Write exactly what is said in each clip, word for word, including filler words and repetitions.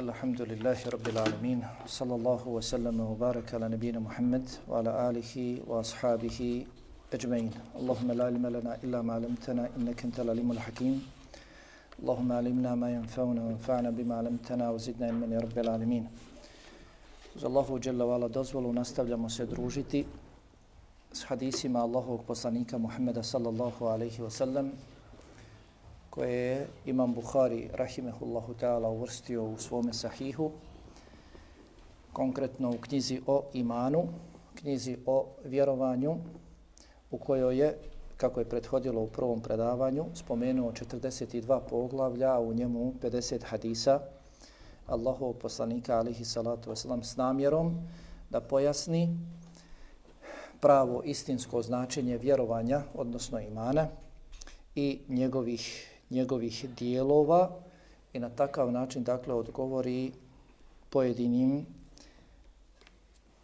Alhamdulillahi Rabbil Alamin. Sallallahu wa sallama wa baraka ala nabina Muhammad wa ala alihi wa ashabihi ajma'in. Allahumma la ilma lana illa ma 'allamtana innaka antal alimul hakim. Allahumma 'allimna ma yanfa'una wanfa'na bima 'allamtana wa zidna ilman ya Rabbil Alamin. Uz Allahu dželle ve ala dozvolu nastavljamo se družiti s hadisima Allahovog poslanika Muhammeda sallallahu alejhi ve sellem, koje je Imam Buhari rahimehullahu ta'ala uvrstio u svome sahihu, konkretno u knjizi o imanu, knjizi o vjerovanju, u kojoj je, kako je prethodilo u prvom predavanju, spomenuo četrdeset dva poglavlja, a u njemu pedeset hadisa Allahovog poslanika alejhi salatu vesselam s namjerom da pojasni pravo istinsko značenje vjerovanja, odnosno imana, i njegovih njegovih dijelova i na takav način dakle odgovori pojedinim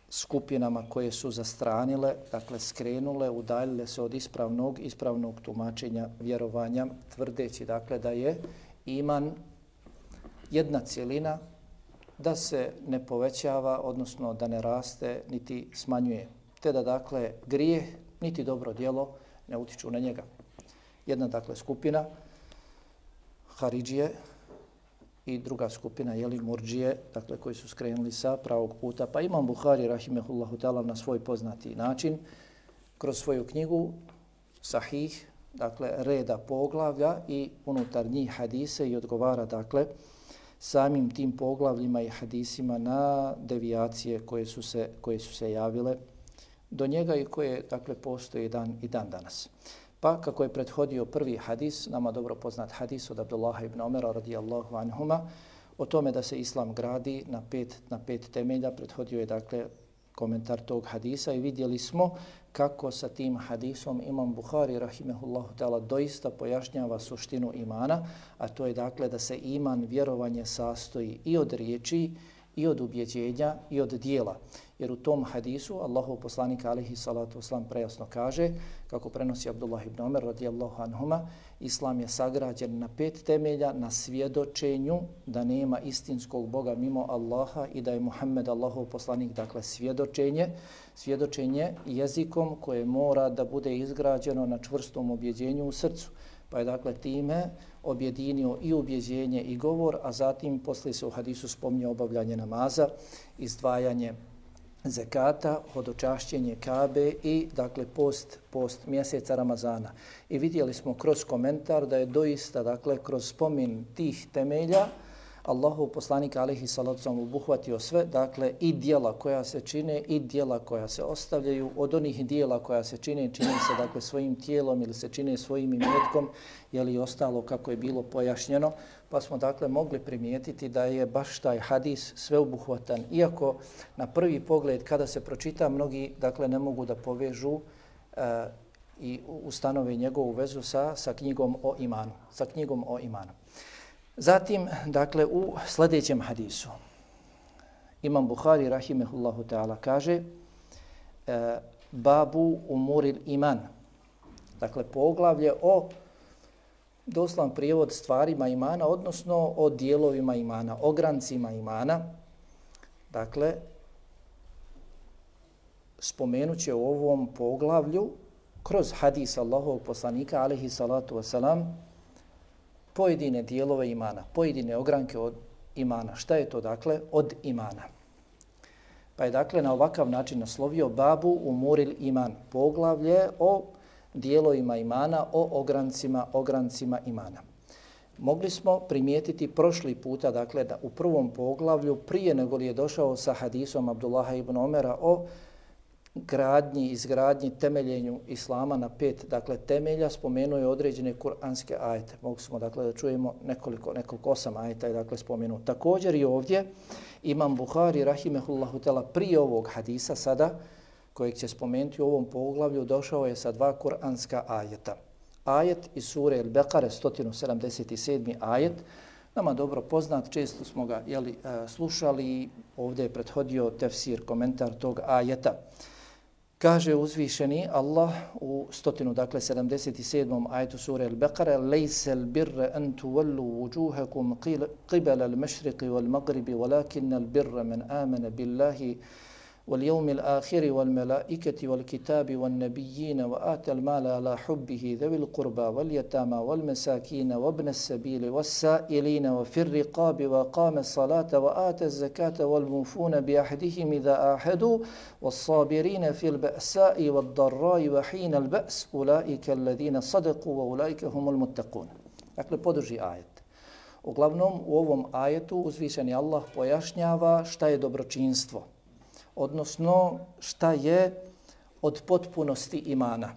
skupinama koje su zastranile, dakle skrenule, udaljile se od ispravnog ispravnog tumačenja vjerovanja, tvrdeći dakle da je iman jedna cjelina, da se ne povećava, odnosno da ne raste niti smanjuje, te da dakle grijeh niti dobro djelo ne utiču na njega. Jedna dakle skupina Haridžije i druga skupina jeli Murdžije, dakle koji su skrenuli sa pravog puta. Pa Imam Buhari rahimehullahu ta'ala na svoj poznati način kroz svoju knjigu Sahih, dakle reda poglavlja i unutar njih hadise i odgovara dakle samim tim poglavljima i hadisima na devijacije koje su se koje su se javile do njega i koje dakle postoje dan i dan danas. Pa kako je prethodio prvi hadis, nama dobro poznat hadis od Abdullaha ibn Omera radijallahu anhuma, o tome da se islam gradi na pet, na pet temelja, prethodio je dakle komentar tog hadisa i vidjeli smo kako sa tim hadisom Imam Buhari rahimehullahu ta'ala doista pojašnjava suštinu imana, a to je dakle da se iman, vjerovanje sastoji i od riječi, i od ubjeđenja, i od dijela. Jer u tom hadisu Allahov poslanik alejhi salatu vesselam prejasno kaže, kako prenosi Abdullah ibn Omer radijallahu anhuma, islam je sagrađen na pet temelja, na svjedočenju da nema istinskog Boga mimo Allaha i da je Muhammed Allahov poslanik, dakle svjedočenje, svjedočenje jezikom koje mora da bude izgrađeno na čvrstom ubjeđenju u srcu. Pa je dakle time objedinio i ubjeđenje i govor, a zatim poslije se u hadisu spominje obavljanje namaza, izdvajanje zekata, hodočašćenje Kabe i dakle post, post mjeseca Ramazana. I vidjeli smo kroz komentar da je doista dakle kroz spomin tih temelja Allahov poslanik alejhi salatu vesselam obuhvatio sve, dakle i djela koja se čine i djela koja se ostavljaju. Od onih djela koja se čine, čine se dakle svojim tijelom ili se čine svojim imetkom, je li ostalo kako je bilo pojašnjeno, pa smo dakle mogli primijetiti da je baš taj hadis sveobuhvatan, iako na prvi pogled kada se pročita mnogi dakle ne mogu da povežu uh, i ustanove njegovu vezu sa, sa knjigom o imanu, sa knjigom o imanu. Zatim, dakle, u sljedećem hadisu Imam Buhari rahimehullahu ta'ala kaže e, babu umuril iman, dakle poglavlje o doslovan prijevod stvarima imana, odnosno o dijelovima imana, o grancima imana. Dakle, spomenuće u ovom poglavlju kroz hadis Allahovog poslanika alejhi salatu vesselam pojedine dijelove imana, pojedine ogranke od imana. Šta je to dakle od imana? Pa je dakle na ovakav način naslovio babu umuril iman, poglavlje o dijelovima imana, o ograncima, ograncima imana. Mogli smo primijetiti prošli puta, dakle da u prvom poglavlju, prije nego li je došao sa hadisom Abdullaha ibn Omera o gradnji, izgradnji, temeljenju islama na pet, dakle temelja, spomenuo je određene kuranske ajete. Mogli smo dakle da čujemo nekoliko, nekoliko osam ajeta je dakle spomenuo. Također i ovdje Imam Buhari rahimehullahu ta'ala prije ovog hadisa sada, kojeg će spomenuti u ovom poglavlju, došao je sa dva kuranska ajeta. Ajet iz sure Al-Beqare, sto sedamdeset sedmi ajet, nama dobro poznat, često smo ga jeli, slušali, ovdje je prethodio tefsir, komentar tog ajeta. Kaže uzvišeni Allah u stotinu, dakle sedamdeset sedmom ajetu sure Al-Baqara: "Lejse al-birra an tuwallu wujuhakum qibala al-mashriqi wal-maghribi, walakinna al-birra man amana billahi واليوم الآخر والملائكة والكتاب والنبيين وآتى المال على حبه ذوي القربى واليتامى والمساكين وابن السبيل والسائلين وفي الرقاب وقام الصلاة وآتى الزكاة والموفون بعهدهم إذا عاهدوا والصابرين في البأساء والضراء وحين البأس أولئك الذين صدقوا وأولئك هم المتقون." Dakle, podrži ajet. Uglavnom, u ovom ajetu uzvišeni Allah pojašnjava šta je dobročinstvo, odnosno šta je od potpunosti imana.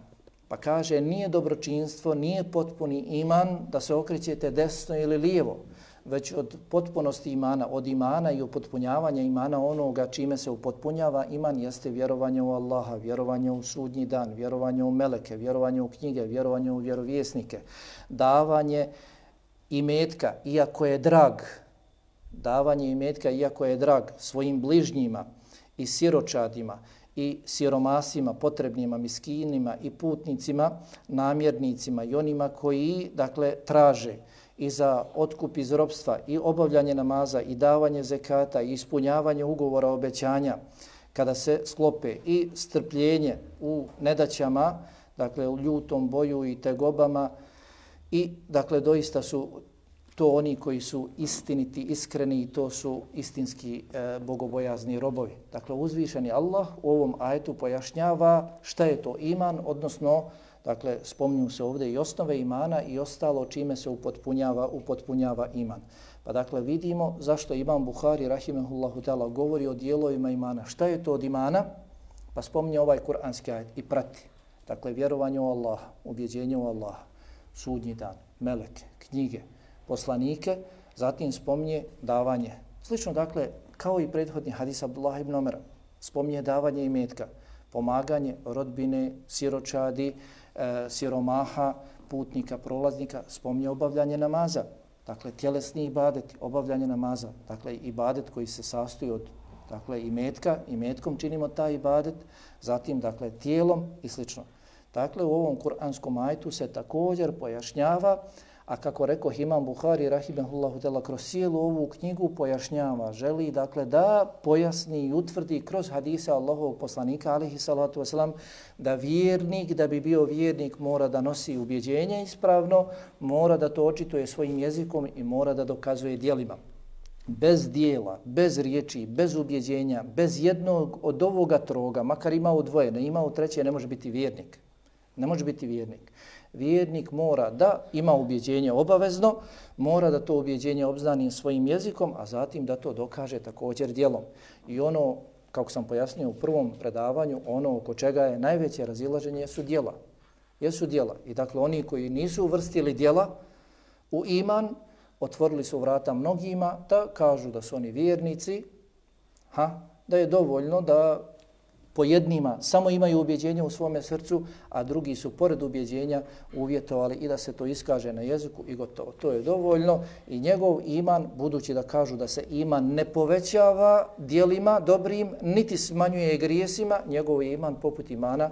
Pa kaže, nije dobročinstvo, nije potpuni iman da se okrećete desno ili lijevo, već od potpunosti imana, od imana i upotpunjavanja imana onoga čime se upotpunjava iman jeste vjerovanje u Allaha, vjerovanje u sudnji dan, vjerovanje u meleke, vjerovanje u knjige, vjerovanje u vjerovjesnike, davanje imetka, iako je drag, davanje imetka, iako je drag svojim bližnjima, i siročadima, i siromasima, potrebnima, miskinima, i putnicima, namjernicima, i onima koji, dakle, traže i za otkup iz ropstva, i obavljanje namaza, i davanje zekata, i ispunjavanje ugovora obećanja, kada se sklope, i strpljenje u nedaćama, dakle, u ljutom boju i tegobama, i, dakle, doista su to oni koji su istiniti, iskreni i to su istinski e, bogobojazni robovi. Dakle, uzvišeni Allah u ovom ajetu pojašnjava šta je to iman, odnosno, dakle, spominju se ovdje i osnove imana i ostalo čime se upotpunjava, upotpunjava iman. Pa dakle, vidimo zašto Imam Buhari, rahimehullahu ta'ala, govori o dijelovima imana. Šta je to od imana? Pa spominje ovaj kuranski ajet i prati. Dakle, vjerovanje u Allaha, ubjeđenje u Allaha, sudnji dan, meleke, knjige, poslanike, zatim spominje davanje. Slično, dakle, kao i prethodni hadis Abdullah ibn Omera, spominje davanje imetka, pomaganje rodbine, siročadi, e, siromaha, putnika, prolaznika, spominje obavljanje namaza. Dakle, tjelesni ibadet, obavljanje namaza. Dakle, ibadet koji se sastoji od, dakle, imetka, imetkom činimo taj ibadet, zatim, dakle, tijelom i slično. Dakle, u ovom kuranskom ajetu se također pojašnjava, a kako rekao Imam Buhari, rahimehullahu ta'ala, kroz cijelu ovu knjigu pojašnjava, želi, dakle, da pojasni i utvrdi kroz hadise Allahovog poslanika, alejhi salatu vesselam, da vjernik, da bi bio vjernik, mora da nosi ubjeđenje ispravno, mora da to očituje svojim jezikom i mora da dokazuje djelima. Bez dijela, bez riječi, bez ubjeđenja, bez jednog od ovoga troga, makar imao dvoje, ne imao treće, ne može biti vjernik. Ne može biti vjernik. Vjernik mora da ima ubjeđenje obavezno, mora da to ubjeđenje obznani svojim jezikom, a zatim da to dokaže također djelom. I ono, kako sam pojasnio u prvom predavanju, ono oko čega je najveće razilaženje su djela. Jesu djela. I dakle, oni koji nisu uvrstili djela u iman, otvorili su vrata mnogima da kažu da su oni vjernici, ha, da je dovoljno da po jednima samo imaju ubjeđenje u svome srcu, a drugi su pored ubjeđenja uvjetovali i da se to iskaže na jeziku i gotovo. To je dovoljno i njegov iman, budući da kažu da se iman ne povećava djelima dobrim, niti smanjuje grijesima, njegov iman poput imana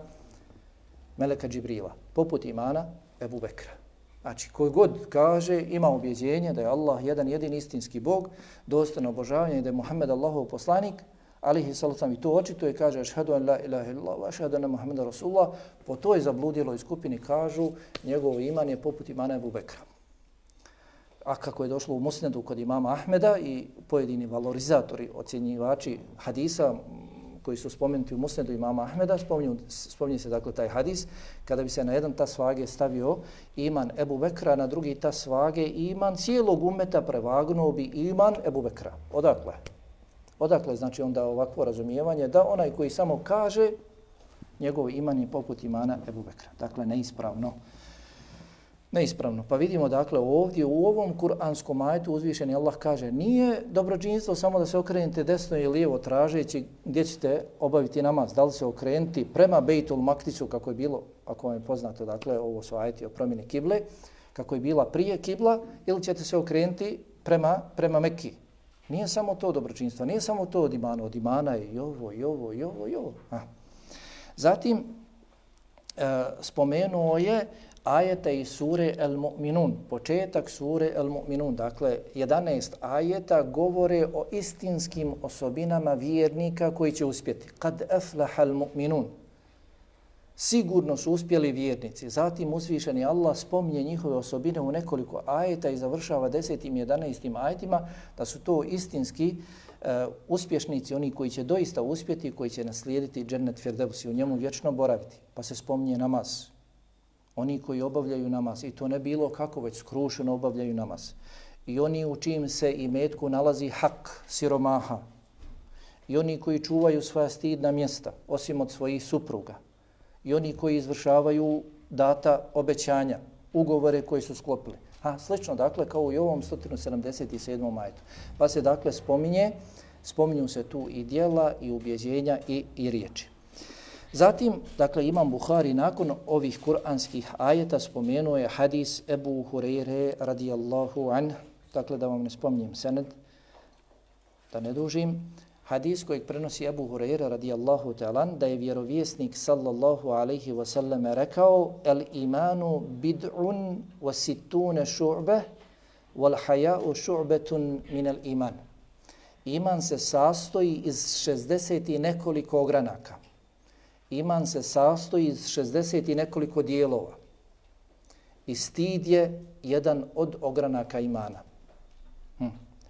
Meleka Džibrila, poput imana Ebu Bekra. Znači, koji god kaže, ima ubjeđenje da je Allah jedan jedin istinski Bog, dostojno obožavanje i da je Muhammed Allahov poslanik, alihi sallam, i to očito je, kaže, ašhadu an la ilaha illallah, wa ašhadu anna Muhammeda Rasulullah, po toj zabludjeloj skupini kažu, njegov iman je poput imana Ebu Bekra. A kako je došlo u Musnedu kod imama Ahmeda i pojedini valorizatori, ocjenjivači hadisa, koji su spomenuti u Musnedu imama Ahmeda, spominju, spominje se dakle taj hadis, kada bi se na jedan tas svage stavio iman Ebu Bekra, na drugi tas svage iman cijelog umeta, prevagnuo bi iman Ebu Bekra. Odakle? Odakle znači onda ovakvo razumijevanje da onaj koji samo kaže njegov iman je poput imana Ebu Bekra. Dakle, neispravno. Neispravno. Pa vidimo dakle ovdje u ovom kuranskom ajetu uzvišeni Allah kaže nije dobročinstvo samo da se okrenete desno i lijevo tražeći gdje ćete obaviti namaz. Da li se okrenuti prema Bejtul Maktisu kako je bilo, ako vam je poznato, dakle ovo su ajeti o promjeni kible, kako je bila prije kibla, ili ćete se okrenuti prema, prema Mekki. Nije samo to dobročinstvo, nije samo to od imana, od imana je i ovo, i ovo, i ovo, i ovo. Ha. Zatim e, spomenuo je ajeta iz sure El-Mu'minun, početak sure El-Mu'minun. Dakle, jedanaest ajeta govore o istinskim osobinama vjernika koji će uspjeti. Kad aflaha al-mu'minun. Sigurno su uspjeli vjernici. Zatim uzvišeni Allah spominje njihove osobine u nekoliko ajeta i završava desetim i jedanaestim ajetima da su to istinski uh, uspješnici, oni koji će doista uspjeti, koji će naslijediti džennet Firdevs i u njemu vječno boraviti. Pa se spominje namaz. Oni koji obavljaju namaz, i to ne bilo kako, već skrušeno obavljaju namaz. I oni u čijim se imetku nalazi hak, siromaha. I oni koji čuvaju svoja stidna mjesta, osim od svojih supruga. I oni koji izvršavaju data obećanja, ugovore koji su sklopili. Ha, slično, dakle, kao i ovom sto sedamdeset sedmom ajetu. Pa se, dakle, spominje, spominju se tu i djela, i ubjeđenja, i, i riječi. Zatim, dakle, Imam Buhari nakon ovih kuranskih ajeta spomenuo je hadis Ebu Hureyre radijallahu anh, dakle, da vam ne spominjem sened, da ne dužim, hadis kojeg prenosi Ebu Hureyre radijallahu ta'ala, da je vjerovjesnik sallallahu alaihi wasallam rekao: El imanu bid'un wa sittune šu'be, wal haja'u šu'betun minel iman. Iman se sastoji iz šezdeset i nekoliko ogranaka. Iman se sastoji iz šezdeset i nekoliko dijelova. I stid je jedan od ogranaka imana. Hm.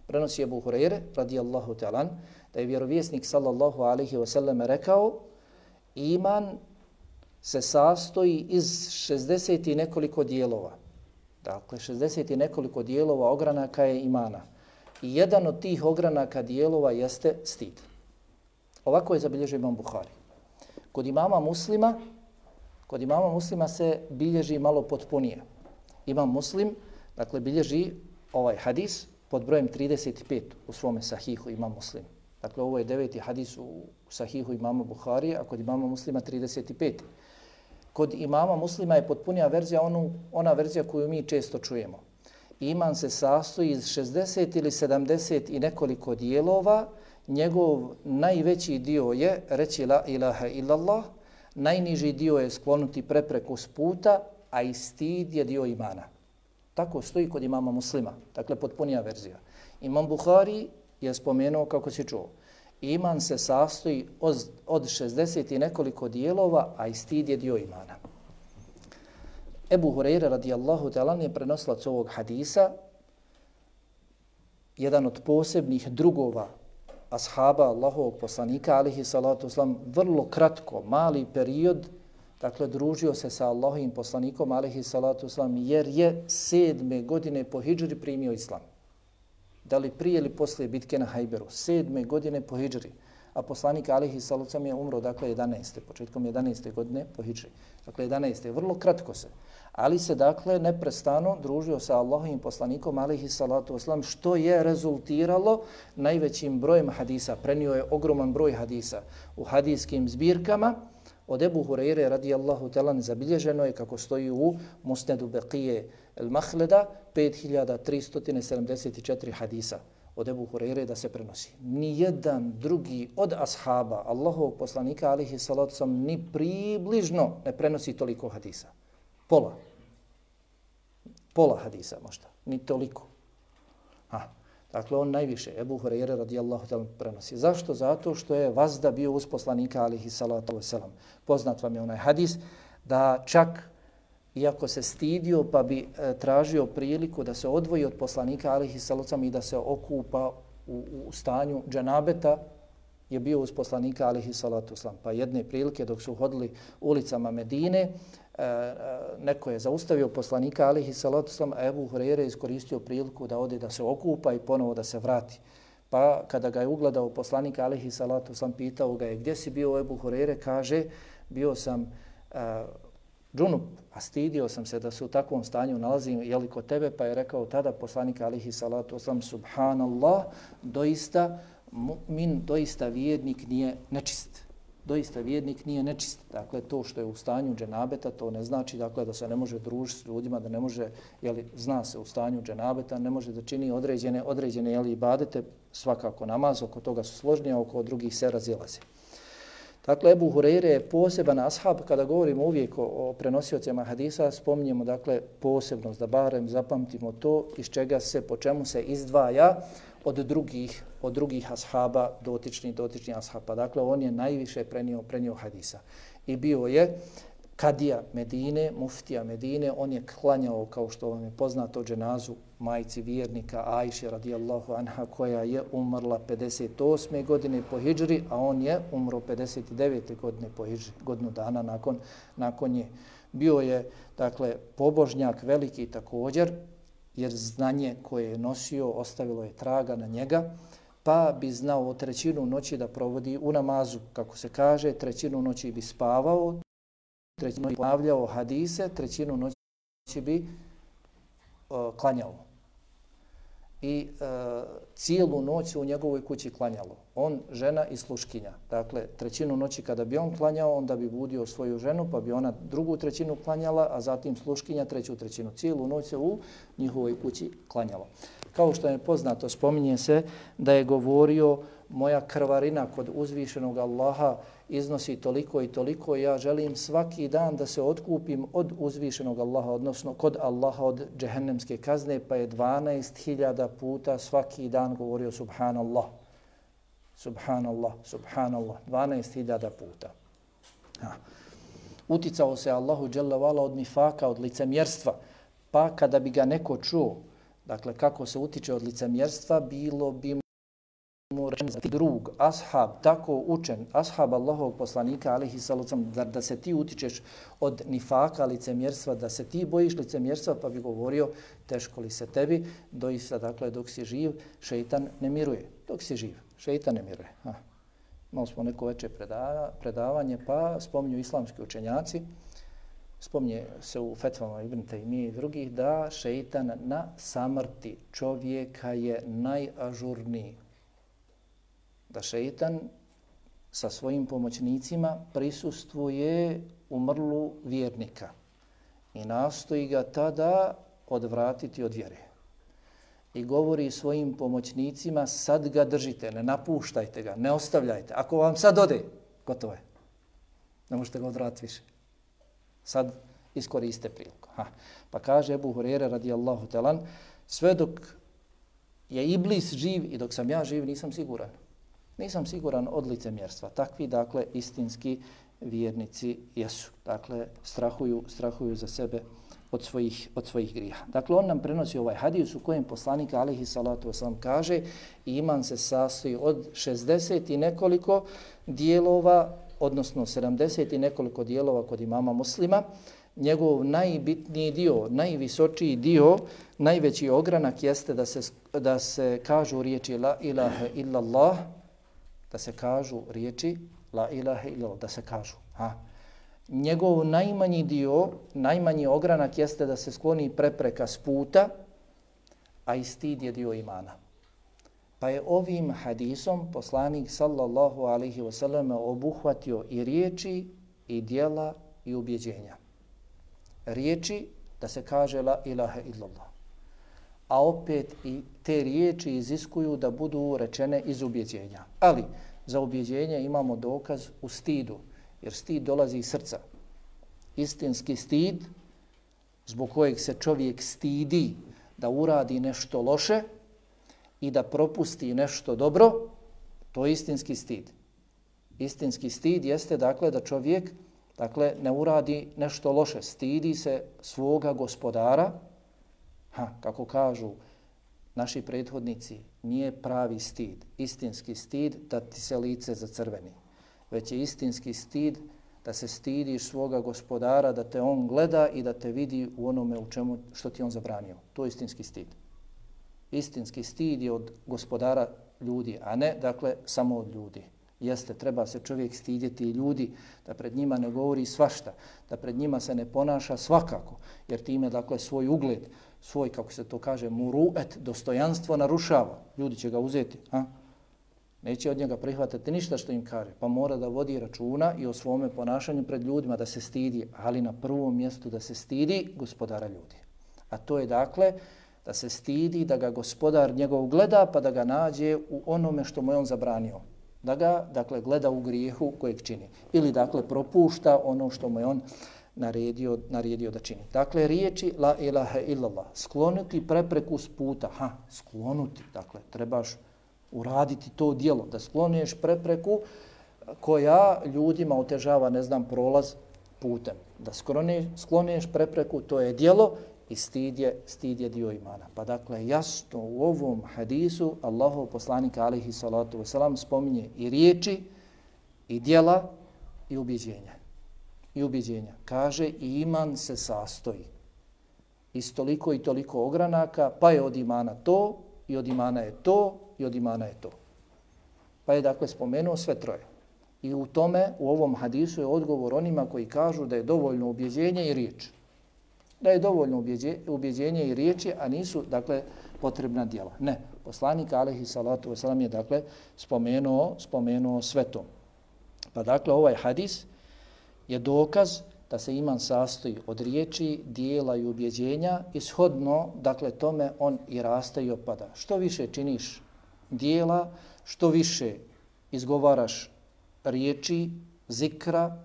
Prenosi Ebu Hureyre radijallahu ta'ala, da je vjerovjesnik sallallahu alaihi wasallam rekao: iman se sastoji iz šezdeset i nekoliko dijelova. Dakle, šezdeset i nekoliko dijelova ogranaka je imana. I jedan od tih ogranaka dijelova jeste stid. Ovako je zabilježio Imam Buhari. Kod imama Muslima, kod imama Muslima se bilježi malo potpunije. Imam Muslim, dakle, bilježi ovaj hadis pod brojem trideset pet u svome sahihu Imam Muslim. Dakle, ovo je deveti hadis u sahihu imama Buhari, a kod imama Muslima trideset pet. Kod imama Muslima je potpunija verzija, onu, ona verzija koju mi često čujemo. Iman se sastoji iz šezdeset ili sedamdeset i nekoliko dijelova. Njegov najveći dio je reći la ilaha illallah, najniži dio je sklonuti prepreku s puta, a i stid je dio imana. Tako stoji kod imama Muslima, dakle potpunija verzija. Imam Buhari je spomenuo, kako si čuo, iman se sastoji od, od šezdeset i nekoliko dijelova, a i stid je dio imana. Ebu Hureyre radijallahu ta'ala je prenosilac ovog hadisa, jedan od posebnih drugova ashaba Allahovog poslanika, alihi salatu wasalam, vrlo kratko, mali period, dakle, družio se sa Allahovim poslanikom, alihi salatu wasalam, jer je sedme godine po hidžri primio islam. Da li prije ili poslije bitke na Hajberu, sedme godine po hidžri, a poslanik alihi salatu wasalam je umro, dakle, jedanaeste, početkom jedanaeste godine po hidžri. Dakle, jedanaeste, vrlo kratko se. Ali se, dakle, neprestano družio sa Allahovim poslanikom, alihi salatu wasalam, što je rezultiralo najvećim brojem hadisa. Prenio je ogroman broj hadisa u hadijskim zbirkama. Od Ebu Hureyre radijallahu ta'ala zabilježeno je, kako stoji u Musnedu Beqije el-Mahleda, pet hiljada tristo sedamdeset četiri hadisa od Ebu Hureyre da se prenosi. Nijedan drugi od ashaba Allahovog poslanika, alihi salatu wasalam, ni približno ne prenosi toliko hadisa. Pola. Pola hadisa možda, ni toliko. Ha. Dakle, on najviše, Ebu Hureyre radijallahu ta'ala prenosi. Zašto? Zato što je vazda bio uz poslanika, alihi salatu wasalam. Poznat vam je onaj hadis da čak, iako se stidio, pa bi e, tražio priliku da se odvoji od poslanika, alihi salatu wasalam, i da se okupa u, u stanju dženabeta, je bio uz poslanika, alihi salatu wasalam. Pa jedne prilike dok su hodili ulicama Medine, neko je zaustavio poslanika, alihi salatu wasalam, a Ebu Hureyre iskoristio priliku da ode da se okupa i ponovo da se vrati. Pa kada ga je ugledao poslanika, alihi salatu wasalam, pitao ga je: gdje si bio, Ebu Hureyre? Kaže: bio sam uh, džunup, a stidio sam se da se u takvom stanju nalazim, jeli kod tebe? Pa je rekao tada poslanika, alihi salatu wasalam: subhanallah, doista mu'min, doista vjernik nije nečist. Doista vjernik nije nečist. Dakle, to što je u stanju dženabeta, to ne znači, dakle, da se ne može družiti s ljudima, da ne može, jeli, zna se u stanju dženabeta, ne može da čini određene, određene jeli, ibadete, svakako namaz, oko toga su složnije, oko drugih se razilaze. Dakle, Ebu Hureyre je poseban ashab, kada govorimo uvijek o, o prenosiocima hadisa, spominjemo dakle posebnost, da barem zapamtimo to iz čega se, po čemu se izdvaja od drugih, od drugih ashaba, dotičnih, dotičnih ashaba. Dakle, on je najviše prenio, prenio hadisa. I bio je kadija Medine, muftija Medine, on je klanjao, kao što vam je poznato, dženazu majci vjernika Ajše radijallahu anha, koja je umrla pedeset osme godine po hidžri, a on je umro pedeset devete godine po hidžri, godinu dana nakon, nakon nje. Bio je, dakle, pobožnjak veliki također, jer znanje koje je nosio ostavilo je traga na njega, pa bi znao trećinu noći da provodi u namazu. Kako se kaže, trećinu noći bi spavao, trećinu bi ponavljao hadise, trećinu noći bi uh, klanjao. I uh, cijelu noć u njegovoj kući klanjalo. On, žena i sluškinja. Dakle, trećinu noći kada bi on klanjao, onda bi budio svoju ženu, pa bi ona drugu trećinu klanjala, a zatim sluškinja treću trećinu. Cijelu noć se u njihovoj kući klanjalo. Kao što je poznato, spominje se da je govorio moja krvarina kod uzvišenog Allaha iznosi toliko i toliko, ja želim svaki dan da se otkupim od uzvišenog Allaha, odnosno kod Allaha od džehennemske kazne, pa je dvanaest hiljada puta svaki dan govorio subhanallah, subhanallah, subhanallah, dvanaest hiljada puta. Ha. Uticao se Allahu dželle vala od nifaka, od licemjerstva, pa kada bi ga neko čuo, dakle kako se utiče od licemjerstva, bilo bi drug, ashab, tako učen, ashab Allahovog poslanika, alejhi salatu vesselam, da, da se ti utičeš od nifaka, licemjerstva, da se ti bojiš licemjerstva, pa bi govorio teško li se tebi, doista, dakle, dok si živ, šeitan ne miruje. Dok si živ, šeitan ne miruje. Ha. Imali smo neko veće predava, predavanje, pa spominju islamski učenjaci, spominje se u fetvama Ibn Taymije i drugih, da šeitan na samrti čovjeka je najažurniji. Da šeitan sa svojim pomoćnicima prisustvuje umrlu vjernika i nastoji ga tada odvratiti od vjere. I govori svojim pomoćnicima, sad ga držite, ne napuštajte ga, ne ostavljajte. Ako vam sad ode, gotovo je. Ne možete ga odvratiti više. Sad iskoriste priliku. Ha. Pa kaže Ebu Hureyre radijallahu talan, sve dok je Iblis živ i dok sam ja živ, nisam siguran. Nisam siguran od licemjerstva. Takvi, dakle, istinski vjernici jesu. Dakle, strahuju, strahuju za sebe od svojih, od svojih grijeha. Dakle, on nam prenosi ovaj hadis u kojem poslanik alejhi salatu vesselam kaže iman se sastoji od šezdeset i nekoliko dijelova, odnosno sedamdeset i nekoliko dijelova kod imama Muslima. Njegov najbitniji dio, najvisočiji dio, najveći ogranak jeste da se, da se kažu riječi la ilaha illallah, da se kažu riječi la ilaha illallah, da se kažu. Ha. Njegov najmanji dio, najmanji ogranak jeste da se skloni prepreka s puta, a i stid je dio imana. Pa je ovim hadisom poslanik sallallahu alaihi wasallam obuhvatio i riječi, i djela, i ubjeđenja. Riječi da se kaže la ilaha illallah. A opet i te riječi iziskuju da budu rečene iz ubjeđenja. Ali za ubjeđenje imamo dokaz u stidu, jer stid dolazi iz srca. Istinski stid, zbog kojeg se čovjek stidi da uradi nešto loše i da propusti nešto dobro, to je istinski stid. Istinski stid jeste, dakle, da čovjek, dakle, ne uradi nešto loše, stidi se svoga gospodara. Ha, kako kažu naši prethodnici, nije pravi stid, istinski stid da ti se lice zacrveni, već je istinski stid da se stidiš svoga gospodara, da te on gleda i da te vidi u onome u čemu što ti on zabranio. To je istinski stid. Istinski stid je od gospodara ljudi, a ne, dakle, samo od ljudi. Jeste, treba se čovjek stidjeti i ljudi, da pred njima ne govori svašta, da pred njima se ne ponaša svakako, jer time, dakle, svoj ugled, svoj, kako se to kaže, muruet, dostojanstvo narušava. Ljudi će ga uzeti, a? Neće od njega prihvatiti ništa što im kaže, pa mora da vodi računa i o svome ponašanju pred ljudima, da se stidi, ali na prvom mjestu da se stidi gospodara ljudi. A to je, dakle, da se stidi, da ga gospodar njegov gleda, pa da ga nađe u onome što mu je on zabranio. Da ga, dakle, gleda u grijehu kojeg čini. Ili, dakle, propušta ono što mu je on naredio, naredio da čini. Dakle, riječi la ilaha illallah, sklonuti prepreku s puta. Ha, sklonuti, dakle, trebaš uraditi to djelo, da skloniješ prepreku koja ljudima otežava, ne znam, prolaz putem. Da skloniješ, skloniješ prepreku, to je djelo i stid je, stid je dio imana. Pa dakle, jasno u ovom hadisu Allahov poslanika alejhi salatu vesselam spominje i riječi, i djela, i ubjeđenja. I ubjeđenja. Kaže, i iman se sastoji iz toliko i toliko ogranaka, pa je od imana to, i od imana je to, i od imana je to. Pa je dakle spomenuo sve troje. I u tome, u ovom hadisu je odgovor onima koji kažu da je dovoljno ubjeđenje i riječ. Da je dovoljno ubjeđenje i riječi, a nisu, dakle, potrebna djela. Ne, poslanik alejhi salatu vesselam je, dakle, spomenuo, spomenuo sve to. Pa dakle, ovaj hadis je dokaz da se iman sastoji od riječi, dijela i ubjeđenja i shodno, dakle, tome on i raste i opada. Što više činiš dijela, što više izgovaraš riječi, zikra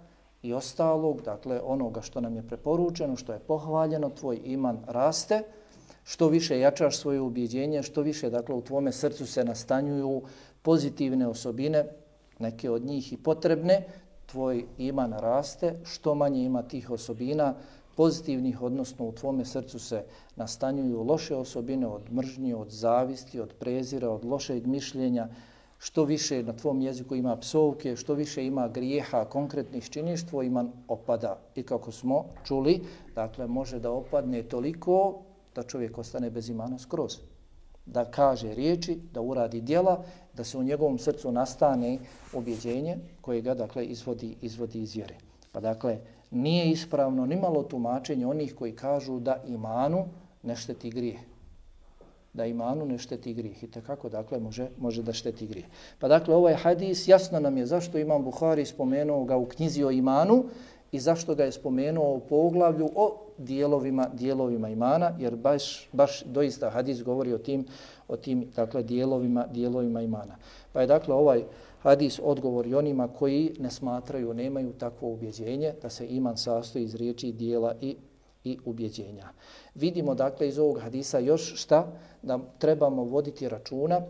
i ostalog, dakle, onoga što nam je preporučeno, što je pohvaljeno, tvoj iman raste, što više jačaš svoje ubjeđenje, što više, dakle, u tvome srcu se nastanjuju pozitivne osobine, neke od njih i potrebne, tvoj iman raste, što manje ima tih osobina pozitivnih, odnosno u tvome srcu se nastanjuju loše osobine od mržnje, od zavisti, od prezira, od lošeg mišljenja, što više na tvom jeziku ima psovke, što više ima grijeha konkretnih činiš, tvoj iman opada. I kako smo čuli, dakle, može da opadne toliko da čovjek ostane bez imana skroz. Da kaže riječi, da uradi djela, da se u njegovom srcu nastane ubjeđenje koje ga, dakle, izvodi, izvodi iz vjere. Pa dakle, nije ispravno ni malo tumačenje onih koji kažu da imanu ne šteti grijeh. Da imanu ne šteti grijeh. I tako, dakle, može, može da šteti grijeh. Pa dakle, ovaj hadis jasno nam je zašto Imam Buhari spomenuo ga u knjizi o imanu i zašto ga je spomenuo u poglavlju o dijelovima, dijelovima imana, jer baš, baš doista hadis govori o tim, o tim, dakle, dijelovima, dijelovima imana. Pa je, dakle, ovaj hadis odgovor i onima koji ne smatraju, nemaju takvo ubjeđenje da se iman sastoji iz riječi, dijela i, i ubjeđenja. Vidimo, dakle, iz ovog hadisa još šta? Da trebamo voditi računa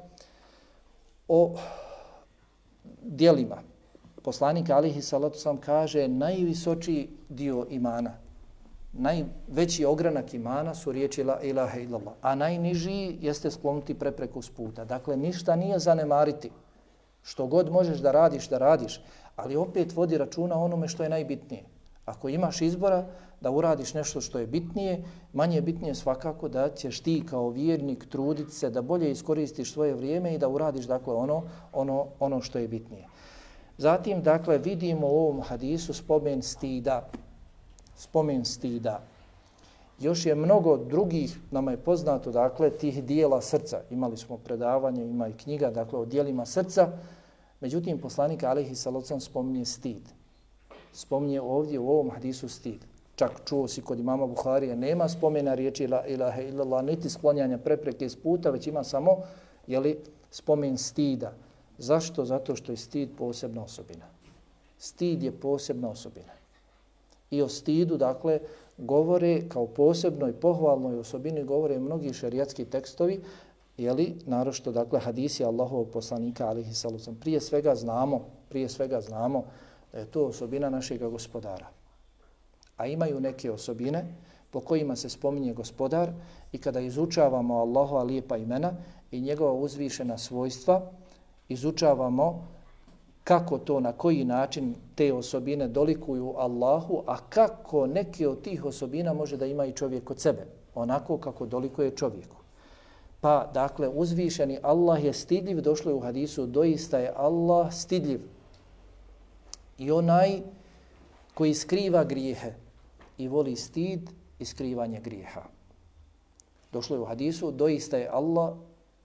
o dijelima. Poslanik alejhi salatu vesselam kaže najvisočiji dio imana, najveći ogranak imana su riječi la ilaha illallah, a najniži jeste sklonuti prepreku s puta. Dakle, ništa nije zanemariti. Što god možeš da radiš, da radiš, ali opet vodi računa onome što je najbitnije. Ako imaš izbora da uradiš nešto što je bitnije, manje je bitnije svakako da ćeš ti kao vjernik truditi se da bolje iskoristiš svoje vrijeme i da uradiš, dakle, ono, ono, ono što je bitnije. Zatim, dakle, vidimo u ovom hadisu spomen stida. Spomen stida. Još je mnogo drugih, nama je poznato, dakle, tih dijela srca. Imali smo predavanje, ima i knjiga, dakle, o dijelima srca. Međutim, poslanik alejhi salatu vesselam spominje stid. Spominje ovdje u ovom hadisu stid. Čak čuo si kod imama Buharije, nema spomena riječi la ilaha illallah, niti sklonjanja prepreke iz puta, već ima samo, jeli, spomen stida. Zašto? Zato što je stid posebna osobina. Stid je posebna osobina. I o stidu, dakle, govore kao posebnoj pohvalnoj osobini, govore mnogi šerijatski tekstovi, jeli, naročito, dakle, hadisi Allahovog poslanika alejhi salatu vesselam. Prije svega znamo, prije svega znamo da je to osobina našeg gospodara. A imaju neke osobine po kojima se spominje gospodar i kada izučavamo Allahova lijepa imena i njegova uzvišena svojstva, izučavamo kako to, na koji način te osobine dolikuju Allahu, a kako neke od tih osobina može da ima i čovjek kod sebe, onako kako dolikuje čovjeku. Pa, dakle, uzvišeni Allah je stidljiv, došlo je u hadisu, doista je Allah stidljiv. I onaj koji skriva grijehe i voli stid i skrivanje grijeha. Došlo je u hadisu, doista je Allah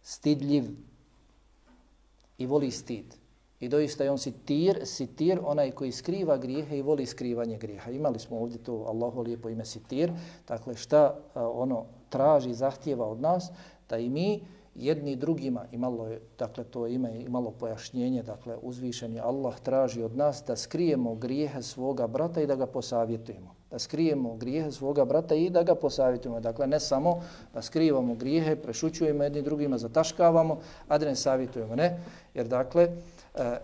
stidljiv i voli stid. I doista je on sitir, sitir, onaj koji skriva grijehe i voli skrivanje grijeha. Imali smo ovdje to Allahu lijepo ime sitir. Dakle, šta ono traži, zahtijeva od nas? Da i mi jedni drugima, imalo je, dakle to ime imalo pojašnjenje, dakle uzvišeni Allah traži od nas da skrijemo grijehe svoga brata i da ga posavjetujemo. Da skrijemo grijehe svoga brata i da ga posavjetujemo. Dakle, ne samo da skrivamo grijehe, prešućujemo jedni drugima, zataškavamo, a da ne savjetujemo. Ne, jer dakle,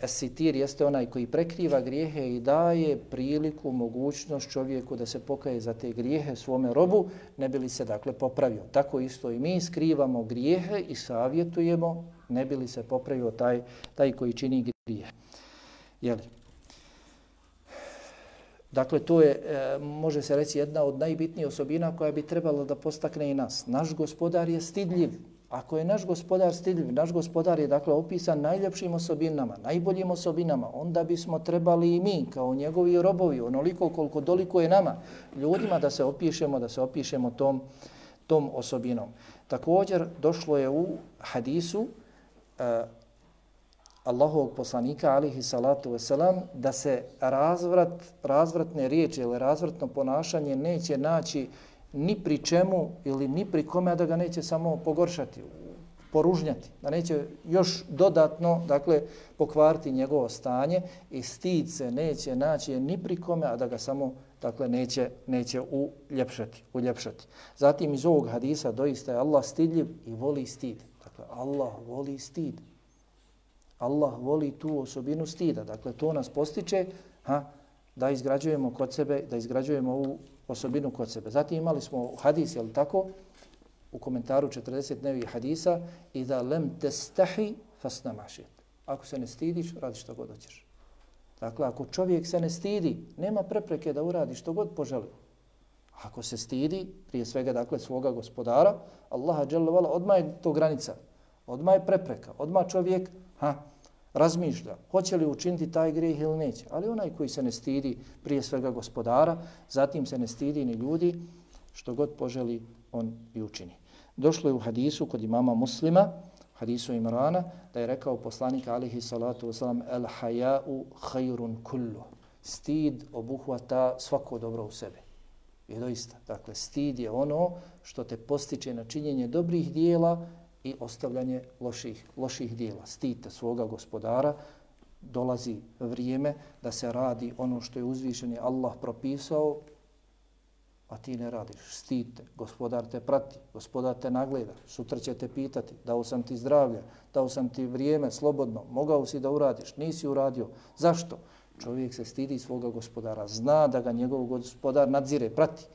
esitir jeste onaj koji prekriva grijehe i daje priliku, mogućnost čovjeku da se pokaje za te grijehe svome robu, ne bi li se dakle popravio. Tako isto i mi skrivamo grijehe i savjetujemo, ne bi li se popravio taj, taj koji čini grijehe. Jeli? Dakle, to je, može se reći, jedna od najbitnijih osobina koja bi trebala da postakne i nas. Naš gospodar je stidljiv. Ako je naš gospodar stidljiv, naš gospodar je dakle opisan najljepšim osobinama, najboljim osobinama, onda bismo trebali i mi kao njegovi robovi, onoliko koliko doliko je nama, ljudima da se opišemo, da se opišemo tom, tom osobinom. Također došlo je u hadisu uh, Allahovog poslanika alihi salatu wasalam da se razvrat, razvratne riječi ili razvratno ponašanje neće naći ni pri čemu ili ni pri kome, a da ga neće samo pogoršati, poružnjati, da neće još dodatno, dakle, pokvariti njegovo stanje i stid se neće naći ni pri kome, a da ga samo, dakle, neće, neće uljepšati, uljepšati. Zatim iz ovog hadisa doista je Allah stidljiv i voli stid. Dakle, Allah voli stid. Allah voli tu osobinu stida. Dakle, to nas postiče ha, da izgrađujemo kod sebe, da izgrađujemo ovu osobinu kod sebe. Zatim imali smo hadis, je li tako, u komentaru četrdeset nevih hadisa, i da lem testahi fasna mašit. Ako se ne stidiš, radi što god hoćeš. Dakle, ako čovjek se ne stidi, nema prepreke da uradi što god poželi. Ako se stidi, prije svega, dakle, svoga gospodara, Allaha dželle vala, odmah je to granica, odmah je prepreka, odmah čovjek ha, razmišlja, hoće li učiniti taj grijeh ili neće. Ali onaj koji se ne stidi prije svega gospodara, zatim se ne stidi ni ljudi, što god poželi, on i učini. Došlo je u hadisu kod imama Muslima, hadisu Imrana, da je rekao poslanik alihi salatu wasalam, el haja'u khayrun kullu. Stid obuhvata svako dobro u sebi. I doista, dakle, stid je ono što te postiče na činjenje dobrih dijela i ostavljanje loših, loših dijela. Stidite svoga gospodara, dolazi vrijeme da se radi ono što je uzvišeni Allah propisao, a ti ne radiš. Stidite, gospodar te prati, gospodar te nagleda, sutra će te pitati, dao sam ti zdravlje, dao sam ti vrijeme slobodno, mogao si da uradiš, nisi uradio. Zašto? Čovjek se stidi svoga gospodara, zna da ga njegov gospodar nadzire, prati,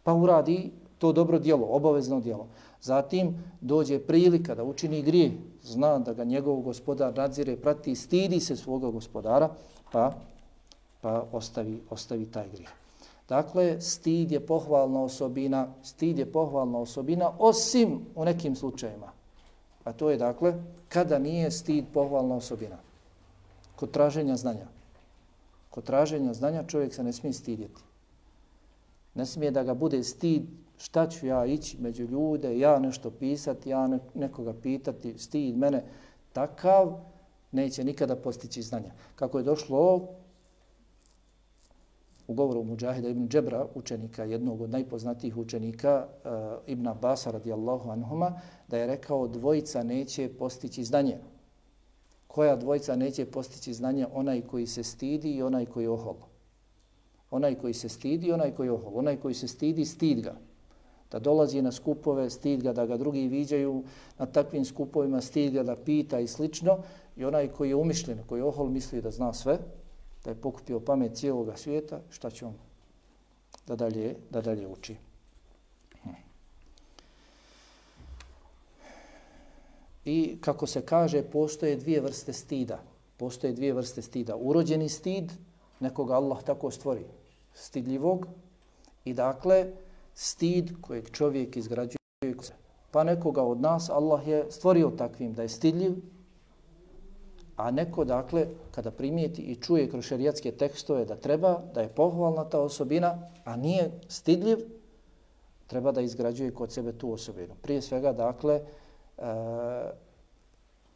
pa uradi to dobro djelo, obavezno djelo. Zatim dođe prilika da učini grijeh, zna da ga njegov gospodar nadzire, prati, stidi se svoga gospodara, pa, pa ostavi, ostavi taj grijeh. Dakle, stid je pohvalna osobina, stid je pohvalna osobina, osim u nekim slučajima. A to je, dakle, kada nije stid pohvalna osobina. Kod traženja znanja. Kod traženja znanja čovjek se ne smije stidjeti. Ne smije da ga bude stid, šta ću ja ići među ljude, ja nešto pisati, ja ne, nekoga pitati, stid mene. Takav neće nikada postići znanja. Kako je došlo u govoru Mudžahida ibn Džebra, učenika, jednog od najpoznatijih učenika, uh, Ibn Abasa radijallahu anhuma, da je rekao dvojica neće postići znanje. Koja dvojica neće postići znanje? Onaj koji se stidi i onaj koji je ohol. Onaj koji se stidi i onaj koji je ohol. Onaj koji se stidi, stid ga. Da dolazi na skupove, stid ga, da ga drugi viđaju na takvim skupovima, stid ga da pita i slično. I onaj koji je umišljen, koji je ohol, misli da zna sve, da je pokupio pamet cijeloga svijeta, šta će on da dalje, da dalje uči. Hm. I kako se kaže, postoje dvije vrste stida. Postoje dvije vrste stida. Urođeni stid, nekoga Allah tako stvori, stidljivog, i dakle, stid kojeg čovjek izgrađuje. Pa nekoga od nas Allah je stvorio takvim da je stidljiv, a neko, dakle, kada primijeti i čuje kroz šerijatske tekstove da treba, da je pohvalna ta osobina, a nije stidljiv, treba da izgrađuje kod sebe tu osobinu. Prije svega, dakle, e,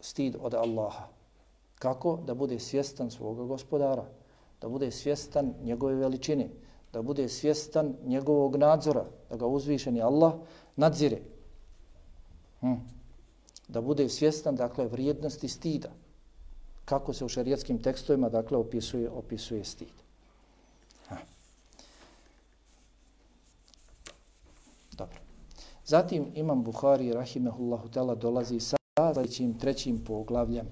stid od Allaha. Kako? Da bude svjestan svoga gospodara, da bude svjestan njegove veličine, da bude svjestan njegovog nadzora, da ga uzvišeni Allah nadzire. Hm. da bude svjestan, dakle, vrijednosti stida. Kako se u šerijetskim tekstovima, dakle, opisuje, opisuje stid. Ha. Dobro. Zatim Imam Buhari, rahimehullahu ta'ala, dolazi sa sljedećim trećim poglavljem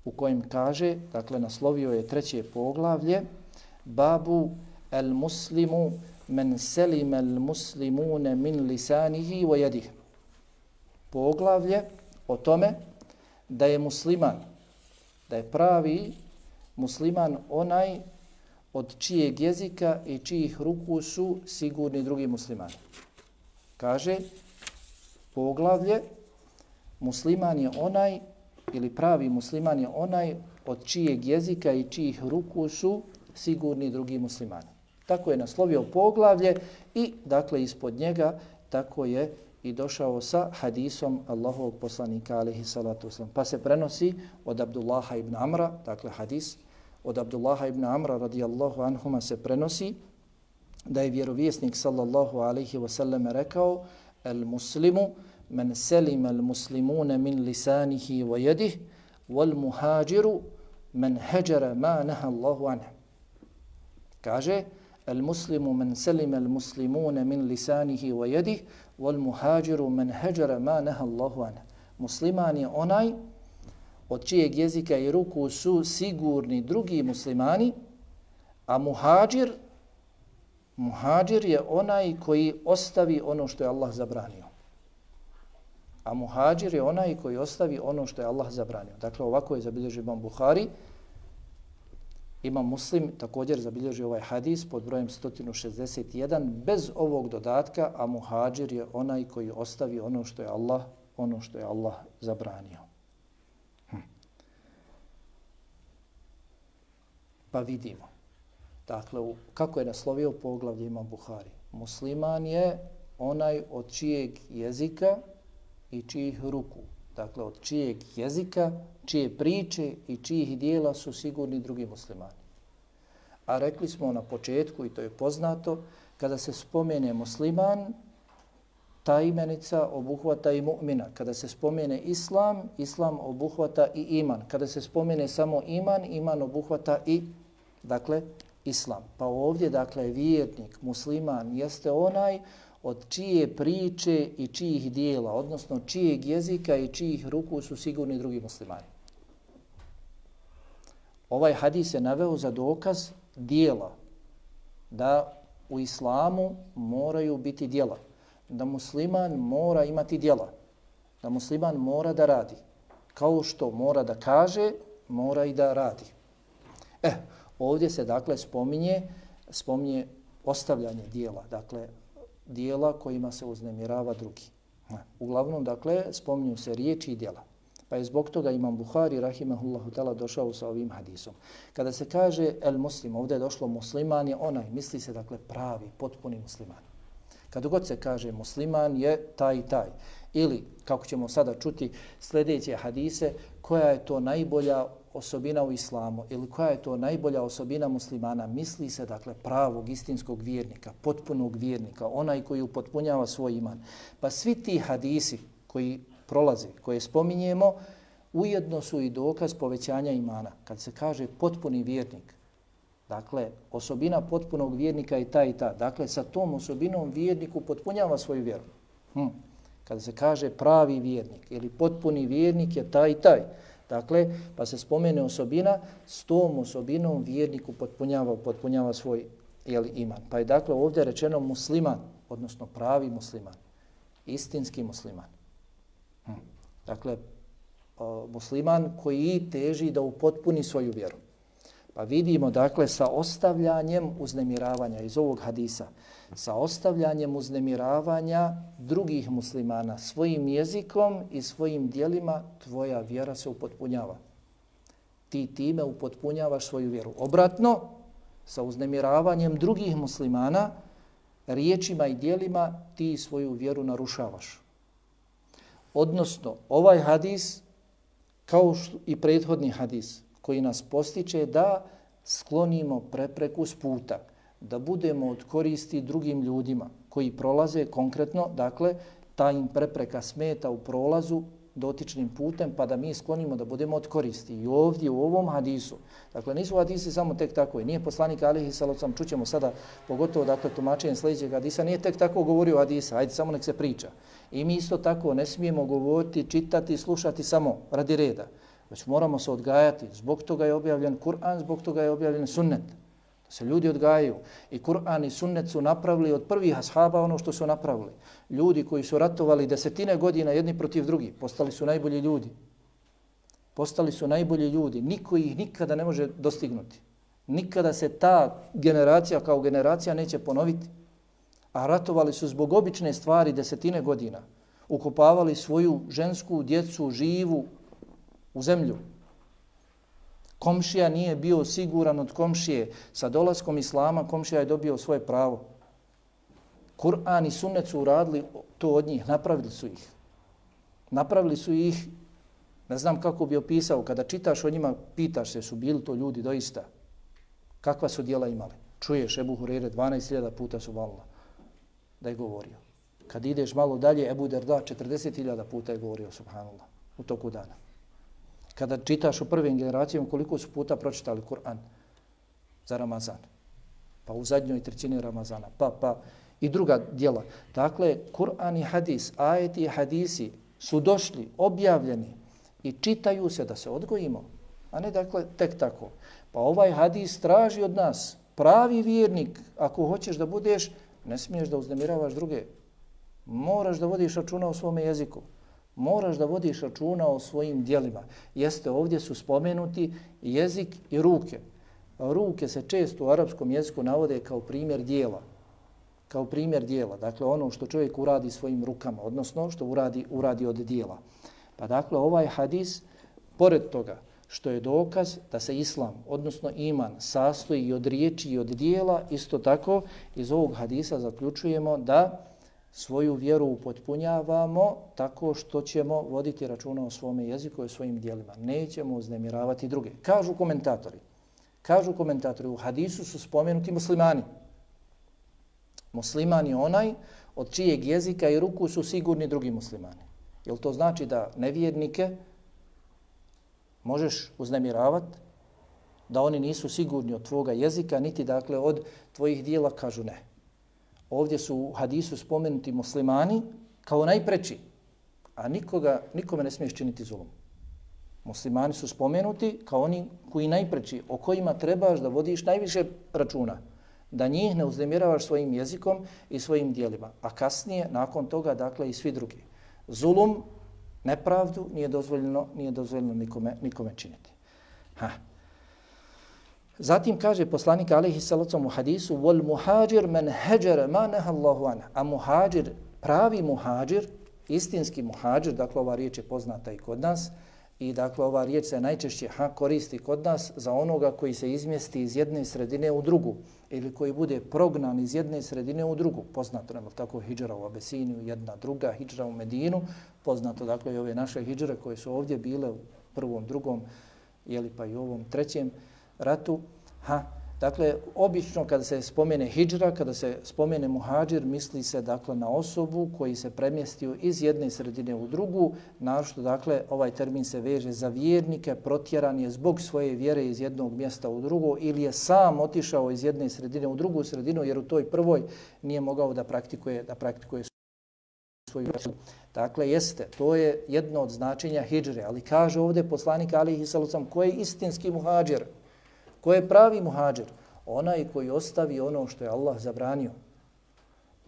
u kojem kaže, dakle, naslovio je treće poglavlje, babu el muslimu men selime el muslimune min lisanihi wa yadihi. Poglavlje o tome da je musliman, da je pravi musliman onaj od čijeg jezika i čijih ruku su sigurni drugi muslimani. Kaže, poglavlje, musliman je onaj, ili pravi musliman je onaj od čijeg jezika i čijih ruku su sigurni drugi muslimani. Tako je naslovio poglavlje i, dakle, ispod njega tako je i došao sa hadisom Allahovog poslanika, alejhi salatu vesselam. Pa se prenosi od Abdullaha ibn Amra, dakle hadis od Abdullaha ibn Amra radijallahu anhuma se prenosi da je vjerovjesnik sallallahu alejhi ve sellem rekao: "El muslimu men selima al muslimuna min lisanihi wa yadihi wal muhajiru men hajara ma naha Allahu anhu." Kaže: "El muslimu men selima al muslimuna min lisanihi wa yadihi wal muhajiru men hajara ma naha Allahu anhu." Musliman je onaj od čijeg jezika i ruku su sigurni drugi muslimani, a muhađir, muhađir je onaj koji ostavi ono što je Allah zabranio. A muhađir je onaj koji ostavi ono što je Allah zabranio. Dakle, ovako je zabilježio Imam Buhari. Imam Muslim također zabilježio ovaj hadis pod brojem sto šezdeset jedan bez ovog dodatka, a muhađir je onaj koji ostavi ono što je Allah, ono što je Allah zabranio. Hm. Pa vidimo. Dakle, kako je naslovio poglavlje Imam Buhari? Musliman je onaj od čijeg jezika i čijih ruku. Dakle, od čijeg jezika, čije priče i čijih dijela su sigurni drugi muslimani. A rekli smo na početku, i to je poznato, kada se spomene musliman, ta imenica obuhvata i mu'mina. Kada se spomene islam, islam obuhvata i iman. Kada se spomene samo iman, iman obuhvata i, dakle, islam. Pa ovdje, dakle, vjernik, musliman, jeste onaj od čije priče i čijih dijela, odnosno čijeg jezika i čijih ruku su sigurni drugi muslimani. Ovaj hadis je naveo za dokaz dijela, da u islamu moraju biti dijela, da musliman mora imati dijela, da musliman mora da radi. Kao što mora da kaže, mora i da radi. Eh, ovdje se, dakle, spominje, spominje ostavljanje dijela, dakle, dijela kojima se uznemirava drugi. Uglavnom, dakle, spominju se riječi i dijela. Pa je zbog toga Imam Buhari, rahimahullahu ta'ala, došao sa ovim hadisom. Kada se kaže el muslim, ovdje je došlo musliman je onaj, misli se, dakle, pravi, potpuni musliman. Kada god se kaže musliman je taj i taj. Ili, kako ćemo sada čuti sljedeće hadise, koja je to najbolja osobina u islamu ili koja je to najbolja osobina muslimana, misli se, dakle, pravog, istinskog vjernika, potpunog vjernika, onaj koji upotpunjava svoj iman. Pa svi ti hadisi koji prolaze, koje spominjemo, ujedno su i dokaz povećanja imana. Kad se kaže potpuni vjernik, dakle, osobina potpunog vjernika je ta i ta. Dakle, sa tom osobinom vjerniku potpunjava svoju vjeru. Hm. Kada se kaže pravi vjernik ili potpuni vjernik je taj i taj. Dakle, pa se spomene osobina, s tom osobinom vjerniku potpunjava, potpunjava svoj, jeli, iman. Pa je, dakle, ovdje rečeno musliman, odnosno pravi musliman, istinski musliman. Hm. Dakle, o, musliman koji teži da upotpuni svoju vjeru. Pa vidimo, dakle, sa ostavljanjem uznemiravanja iz ovog hadisa, sa ostavljanjem uznemiravanja drugih muslimana svojim jezikom i svojim dijelima, tvoja vjera se upotpunjava. Ti time upotpunjavaš svoju vjeru. Obratno, sa uznemiravanjem drugih muslimana, riječima i dijelima, ti svoju vjeru narušavaš. Odnosno, ovaj hadis, kao i prethodni hadis, koji nas postiče da sklonimo prepreku s puta, da budemo od koristi drugim ljudima koji prolaze konkretno, dakle, ta im prepreka smeta u prolazu dotičnim putem pa da mi sklonimo da budemo od koristi. I ovdje u ovom hadisu, dakle nisu hadisi samo tek tako, nije poslanik alejhi salatu vesselam, čućemo sada pogotovo dakle tumačenje sljedećeg hadisa, nije tek tako govorio hadisa, ajde samo nek se priča. I mi isto tako ne smijemo govoriti, čitati, slušati samo radi reda, već moramo se odgajati. Zbog toga je objavljen Kur'an, zbog toga je objavljen sunnet. Da se ljudi odgajaju. I Kur'an i sunnet su napravili od prvih ashaba ono što su napravili. Ljudi koji su ratovali desetine godina jedni protiv drugih, postali su najbolji ljudi. Postali su najbolji ljudi. Niko ih nikada ne može dostignuti. Nikada se ta generacija kao generacija neće ponoviti. A ratovali su zbog obične stvari desetine godina. Ukopavali svoju žensku djecu živu u zemlju. Komšija nije bio siguran od komšije. Sa dolaskom islama komšija je dobio svoje pravo. Kur'an i sunnet su uradili to od njih, napravili su ih. Napravili su ih, ne znam kako bi opisao, kada čitaš o njima, pitaš se su bili to ljudi doista. Kakva su djela imali? Čuješ Ebu Hureyre dvanaest hiljada puta subhanallah da je govorio. Kad ideš malo dalje, Ebu Derda četrdeset hiljada puta je govorio subhanallah u toku dana. Kada čitaš o prvim generacijama, koliko su puta pročitali Kur'an za Ramazan. Pa u zadnjoj trećini Ramazana. Pa, pa i druga djela. Dakle, Kur'an i hadis, ajeti i hadisi su došli, objavljeni i čitaju se da se odgojimo. A ne dakle tek tako. Pa ovaj hadis traži od nas, pravi vjernik, ako hoćeš da budeš, ne smiješ da uznemiravaš druge. Moraš da vodiš računa o svome jeziku. Moraš da vodiš računa o svojim djelima. Jeste, ovdje su spomenuti jezik i ruke. Ruke se često u arapskom jeziku navode kao primjer djela. Kao primjer djela. Dakle, ono što čovjek uradi svojim rukama, odnosno što uradi, uradi od djela. Pa dakle, ovaj hadis, pored toga što je dokaz da se islam, odnosno iman, sastoji i od riječi i od djela, isto tako iz ovog hadisa zaključujemo da svoju vjeru upotpunjavamo tako što ćemo voditi računa o svome jeziku i o svojim djelima. Nećemo uznemiravati druge. Kažu komentatori, kažu komentatori, u hadisu su spomenuti muslimani. Musliman je onaj od čijeg jezika i ruku su sigurni drugi muslimani. Jel to znači da nevjernike možeš uznemiravati, da oni nisu sigurni od tvoga jezika, niti dakle od tvojih dijela? Kažu ne. Ovdje su u hadisu spomenuti muslimani kao najpreči, a nikoga, nikome ne smiješ činiti zulum. Muslimani su spomenuti kao oni koji najpreči, o kojima trebaš da vodiš najviše računa, da njih ne uznemiravaš svojim jezikom i svojim dijelima, a kasnije, nakon toga, dakle i svi drugi. Zulum, nepravdu nije dozvoljeno, nije dozvoljeno nikome, nikome činiti. Ha. Zatim kaže poslanik alejhi salatu u hadisu wal muhađir men hađara ma naha Allahu anhu. A muhađir, pravi muhađir, istinski muhađir, dakle ova riječ je poznata i kod nas i dakle ova riječ se najčešće ha, koristi kod nas za onoga koji se izmjesti iz jedne sredine u drugu ili koji bude prognan iz jedne sredine u drugu. Poznato nam tako hidžra u Abesiniju, jedna druga hidžra u Medinu, poznato dakle i ove naše hidžre koje su ovdje bile u prvom, drugom, jeli pa i ovom trećem ratu. Ha, dakle, obično kada se spomene hidžra, kada se spomene muhađir, misli se dakle na osobu koji se premjestio iz jedne sredine u drugu, našto dakle ovaj termin se veže za vjernike, protjeran je zbog svoje vjere iz jednog mjesta u drugo ili je sam otišao iz jedne sredine u drugu sredinu jer u toj prvoj nije mogao da praktikuje, da praktikuje svoju vjeru. Dakle, jeste, to je jedno od značenja hidžre, ali kaže ovdje poslanik alejhi salatu vesselam ko je istinski muhađir, ko je pravi muhađir? Onaj koji ostavi ono što je Allah zabranio.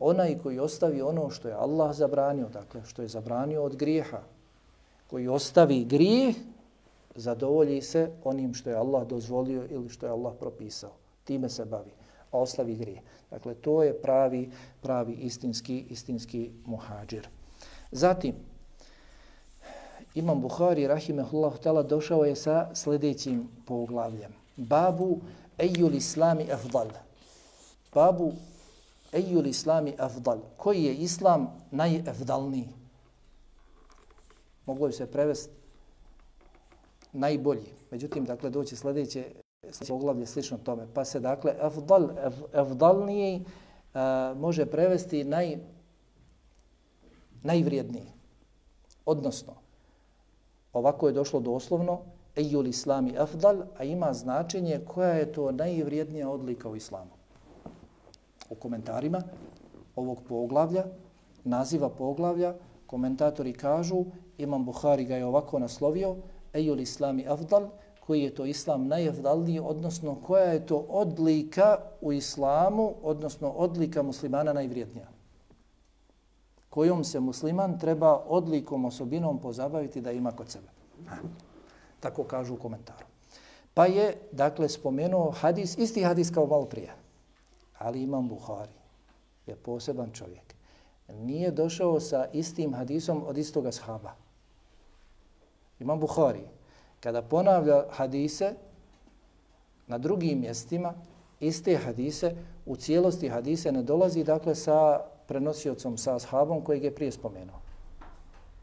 Onaj koji ostavi ono što je Allah zabranio, dakle što je zabranio od grijeha. Koji ostavi grijeh, zadovolji se onim što je Allah dozvolio ili što je Allah propisao. Time se bavi, a ostavi grijeh. Dakle, to je pravi, pravi istinski, istinski muhađir. Zatim, Imam Buhari, rahimehullahu ta'ala, došao je sa sljedećim poglavljem. Babu ejul islami afdal. Babu ejul islami afdal. Koji je islam najafdalniji? Moglo bi se prevesti najbolji. Međutim, dakle, doći sljedeće poglavlje slično tome. Pa se, dakle, afdal, af, afdalniji uh, može prevesti naj, najvrijedniji. Odnosno, Ovako je došlo doslovno, ejul islami afdal, a ima značenje koja je to najvrijednija odlika u islamu. U komentarima ovog poglavlja, naziva poglavlja, komentatori kažu, Imam Buhari ga je ovako naslovio, ejul islami afdal, koji je to islam najafdalniji, odnosno koja je to odlika u islamu, odnosno odlika muslimana najvrijednija. Kojom se musliman treba odlikom, osobinom pozabaviti da ima kod sebe. Ha. Tako kažu u komentaru. Pa je, dakle, spomenuo hadis, isti hadis kao malo prije. Ali Imam Buhari je poseban čovjek. Nije došao sa istim hadisom od istoga ashaba. Imam Buhari, kada ponavlja hadise na drugim mjestima, iste hadise, u cijelosti hadise ne dolazi, dakle, sa prenosiocom, sa ashabom kojeg je prije spomenuo.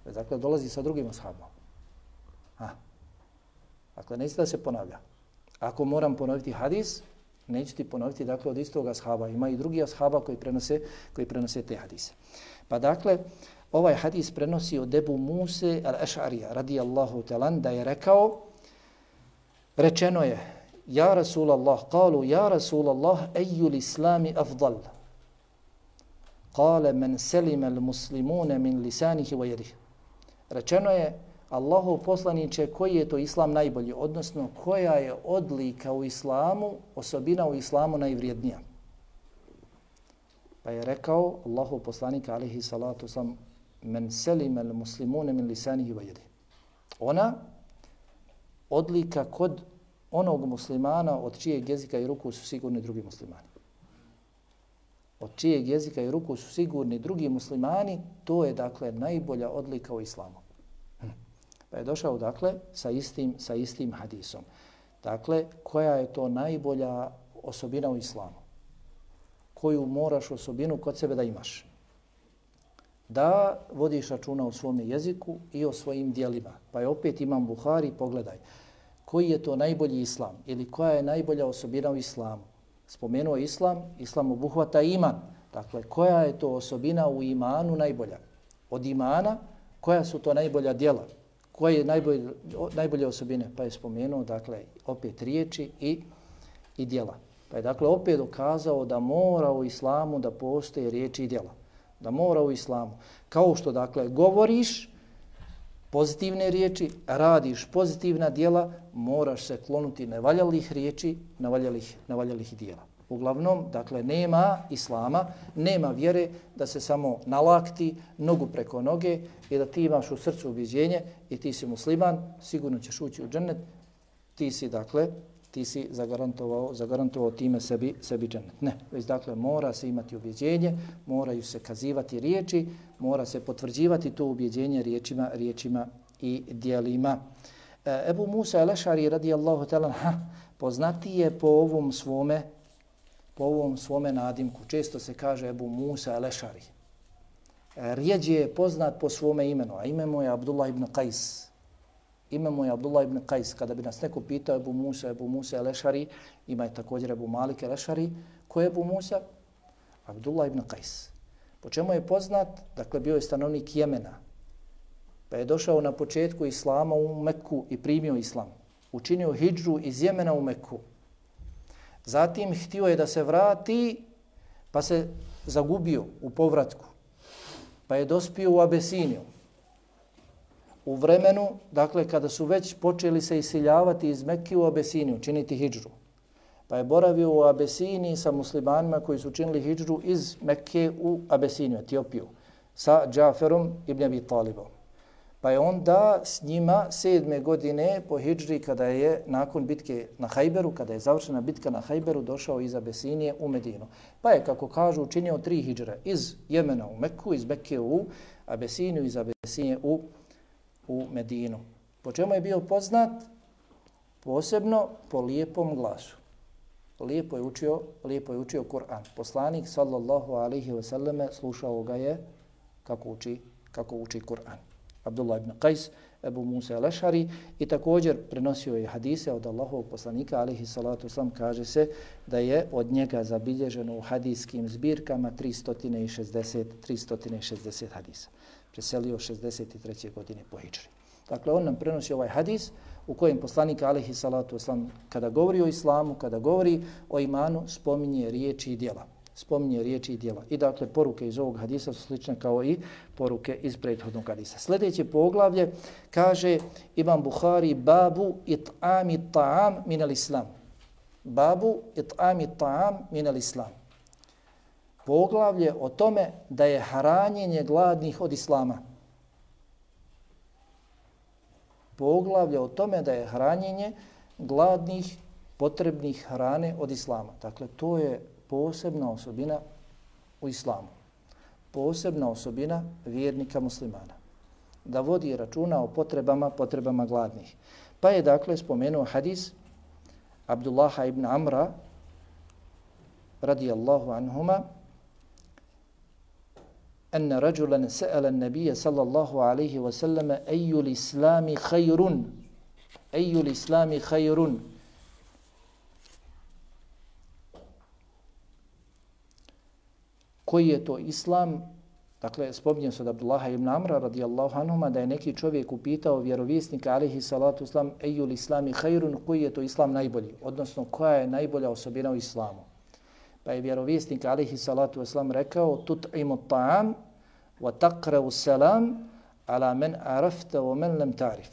Dakle, dolazi sa drugim ashabom. Ha. Dakle, neće da se ponavlja. Ako moram ponoviti hadis, neću ti ponoviti, dakle, od istog ashaba. Ima i drugi ashaba koji prenose, koji prenose te hadise. Pa dakle, ovaj hadis prenosi od Ebu Muse al-Eš'arija, radijallahu talan, da je rekao, rečeno je, ja Rasulallah, kalu, ja Rasulallah, ejul islami afdal. Kale men selime al-muslimune min lisanihi wa jedih. Rečeno je, Allahov poslaniče, koji je to islam najbolji, odnosno koja je odlika u islamu, osobina u islamu najvrijednija. Pa je rekao Allahov poslanik, alaihi salatu sam, men selime al-muslimune min lisanihi wa jedih. Ona, odlika kod onog muslimana od čijeg jezika i ruku su sigurni drugi muslimani. Od čijeg jezika i ruku su sigurni drugi muslimani, to je, dakle, najbolja odlika u islamu. Pa je došao, dakle, sa istim, sa istim hadisom. Dakle, koja je to najbolja osobina u islamu? Koju moraš osobinu kod sebe da imaš? Da vodiš računa o svome jeziku i o svojim dijelima. Pa je opet Imam Buhari, pogledaj, koji je to najbolji islam ili koja je najbolja osobina u islamu? Spomenuo islam, islam obuhvata iman. Dakle, koja je to osobina u imanu najbolja? Od imana, koja su to najbolja djela? Koje je najbolje, najbolje osobine? Pa je spomenuo, dakle, opet riječi i, i djela. Pa je, dakle, opet dokazao da mora u islamu da postoje riječi i djela. Da mora u islamu. Kao što, dakle, govoriš pozitivne riječi, radiš pozitivna djela, moraš se klonuti nevaljalih riječi, nevaljalih, nevaljalih djela. Uglavnom, dakle, nema islama, nema vjere da se samo nalakti nogu preko noge i da ti imaš u srcu ubjeđenje i ti si musliman, sigurno ćeš ući u džennet, ti si, dakle, ti si zagarantovao, zagarantovao time sebi, sebi džennet. Ne, već, dakle, mora se imati ubjeđenje, moraju se kazivati riječi, mora se potvrđivati to ubjeđenje riječima, riječima i dijelima. E, Ebu Musa al-Eš'ari, radijallahu ta'ala, poznati je po ovom svome po ovom svome nadimku. Često se kaže Ebu Musa al-Eš'ari. Rijeđe je poznat po svome imenu, a ime mu je Abdullah ibn Qais. Ime mu je Abdullah ibn Qais. Kada bi nas neko pitao Ebu Musa, Ebu Musa al-Eš'ari, ima je također Ebu Malik al-Eš'ari. Ko je Ebu Musa? Abdullah ibn Qais. Po čemu je poznat? Dakle, bio je stanovnik Jemena. Pa je došao na početku islama u Mekku i primio islam. Učinio hidžu iz Jemena u Mekku. Zatim htio je da se vrati, pa se zagubio u povratku. Pa je dospio u Abesiniju. U vremenu, dakle, kada su već počeli se isiljavati iz Mekke u Abesiniju, činiti hidžru. Pa je boravio u Abesiniji sa muslimanima koji su činili hidžru iz Mekke u Abesiniju, Etiopiju, sa Džaferom ibn Abi Talibom. Pa je onda s njima sedme godine po hidžri, kada je nakon bitke na Hajberu, kada je završena bitka na Hajberu, došao iz Abesinije u Medinu. Pa je, kako kažu, učinio tri hidžre iz Jemena u Mekku, iz Mekke u Abesiniju, iz Abesinije u, u Medinu. Po čemu je bio poznat? Posebno po lijepom glasu. Lijepo je učio, lijepo je učio Kur'an. Poslanik, sallallahu alaihi wa sallame, slušao ga je kako uči, kako uči Kur'an. Abdullah ibn Qais, Ebu Musa al-Eš'ari, i također prenosio je hadise od Allahovog poslanika, alaihi salatu wasalam, kaže se da je od njega zabilježeno u hadijskim zbirkama tristo šezdeset hadisa. Preselio šezdeset treće godine po hidžri. Dakle, on nam prenosi ovaj hadis u kojem poslanik alejhi salatu vesselam kada govori o islamu, kada govori o imanu, spominje riječi i djela. Spominje riječi i djela. I dakle, poruke iz ovog hadisa su slične kao i poruke iz prethodnog hadisa. Sljedeće poglavlje kaže Imam Buhari babu it'ami ta'am min al-islam. Babu it'ami ta'am min al-islam. Poglavlje o tome da je hranjenje gladnih od islama. Poglavlje o tome da je hranjenje gladnih, potrebnih hrane od islama. Dakle, to je posebna osobina u islamu. Posebna osobina vjernika muslimana. Da vodi računa o potrebama, potrebama gladnih. Pa je dakle spomenuo hadis Abdullaha ibn Amra radijallahu anhuma أن رجلا سأل النبي صلى الله عليه وسلم أي الإسلام خير أي الإسلام خير koji je to islam, dakle spominje se od Abdullaha ibn Amra radijallahu anhuma da je neki čovjek upitao vjerovjesnika alejhi salatu vesselam ejul islami khairun, koji je to islam najbolji, odnosno koja je najbolja osobina u islamu. Pa je vjerovjesnik alejhi salatu vesselam rekao tut'imu ta'am wa taqra'u salam ala man arafta wa man lam ta'rif.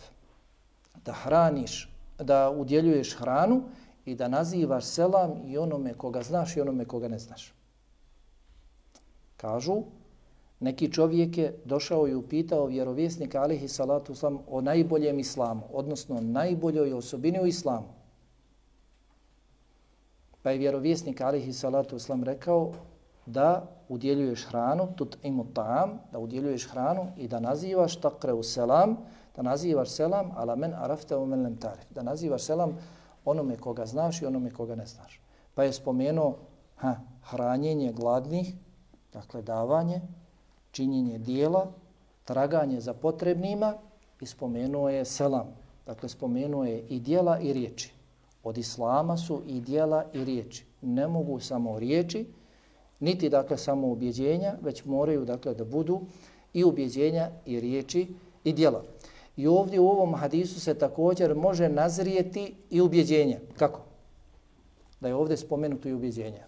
Da hraniš, da udjeljuješ hranu i da nazivaš selam i onome koga znaš i onome koga ne znaš. Kažu, neki čovjek je došao i upitao vjerovjesnika alejhi salatu vesselam o najboljem islamu, odnosno najboljoj osobini u islamu. Pa je vjerovjesnik alejhi salatu vesselam rekao da udjeljuješ hranu, tut'imu ta'am, da udjeljuješ hranu i da nazivaš taqra'u selam, da nazivaš selam ala men arafta wa men lam ta'rif, da nazivaš selam onome koga znaš i onome koga ne znaš. Pa je spomenuo ha, hranjenje gladnih, dakle davanje, činjenje dijela, traganje za potrebnima i spomenuo je selam. Dakle, spomenuo je i dijela i riječi. Od islama su i dijela i riječi. Ne mogu samo riječi, niti dakle samo ubjeđenja, već moraju dakle da budu i ubjeđenja i riječi i dijela. I ovdje u ovom hadisu se također može nazrijeti i ubjeđenje. Kako? Da je ovdje spomenuto i ubjeđenje.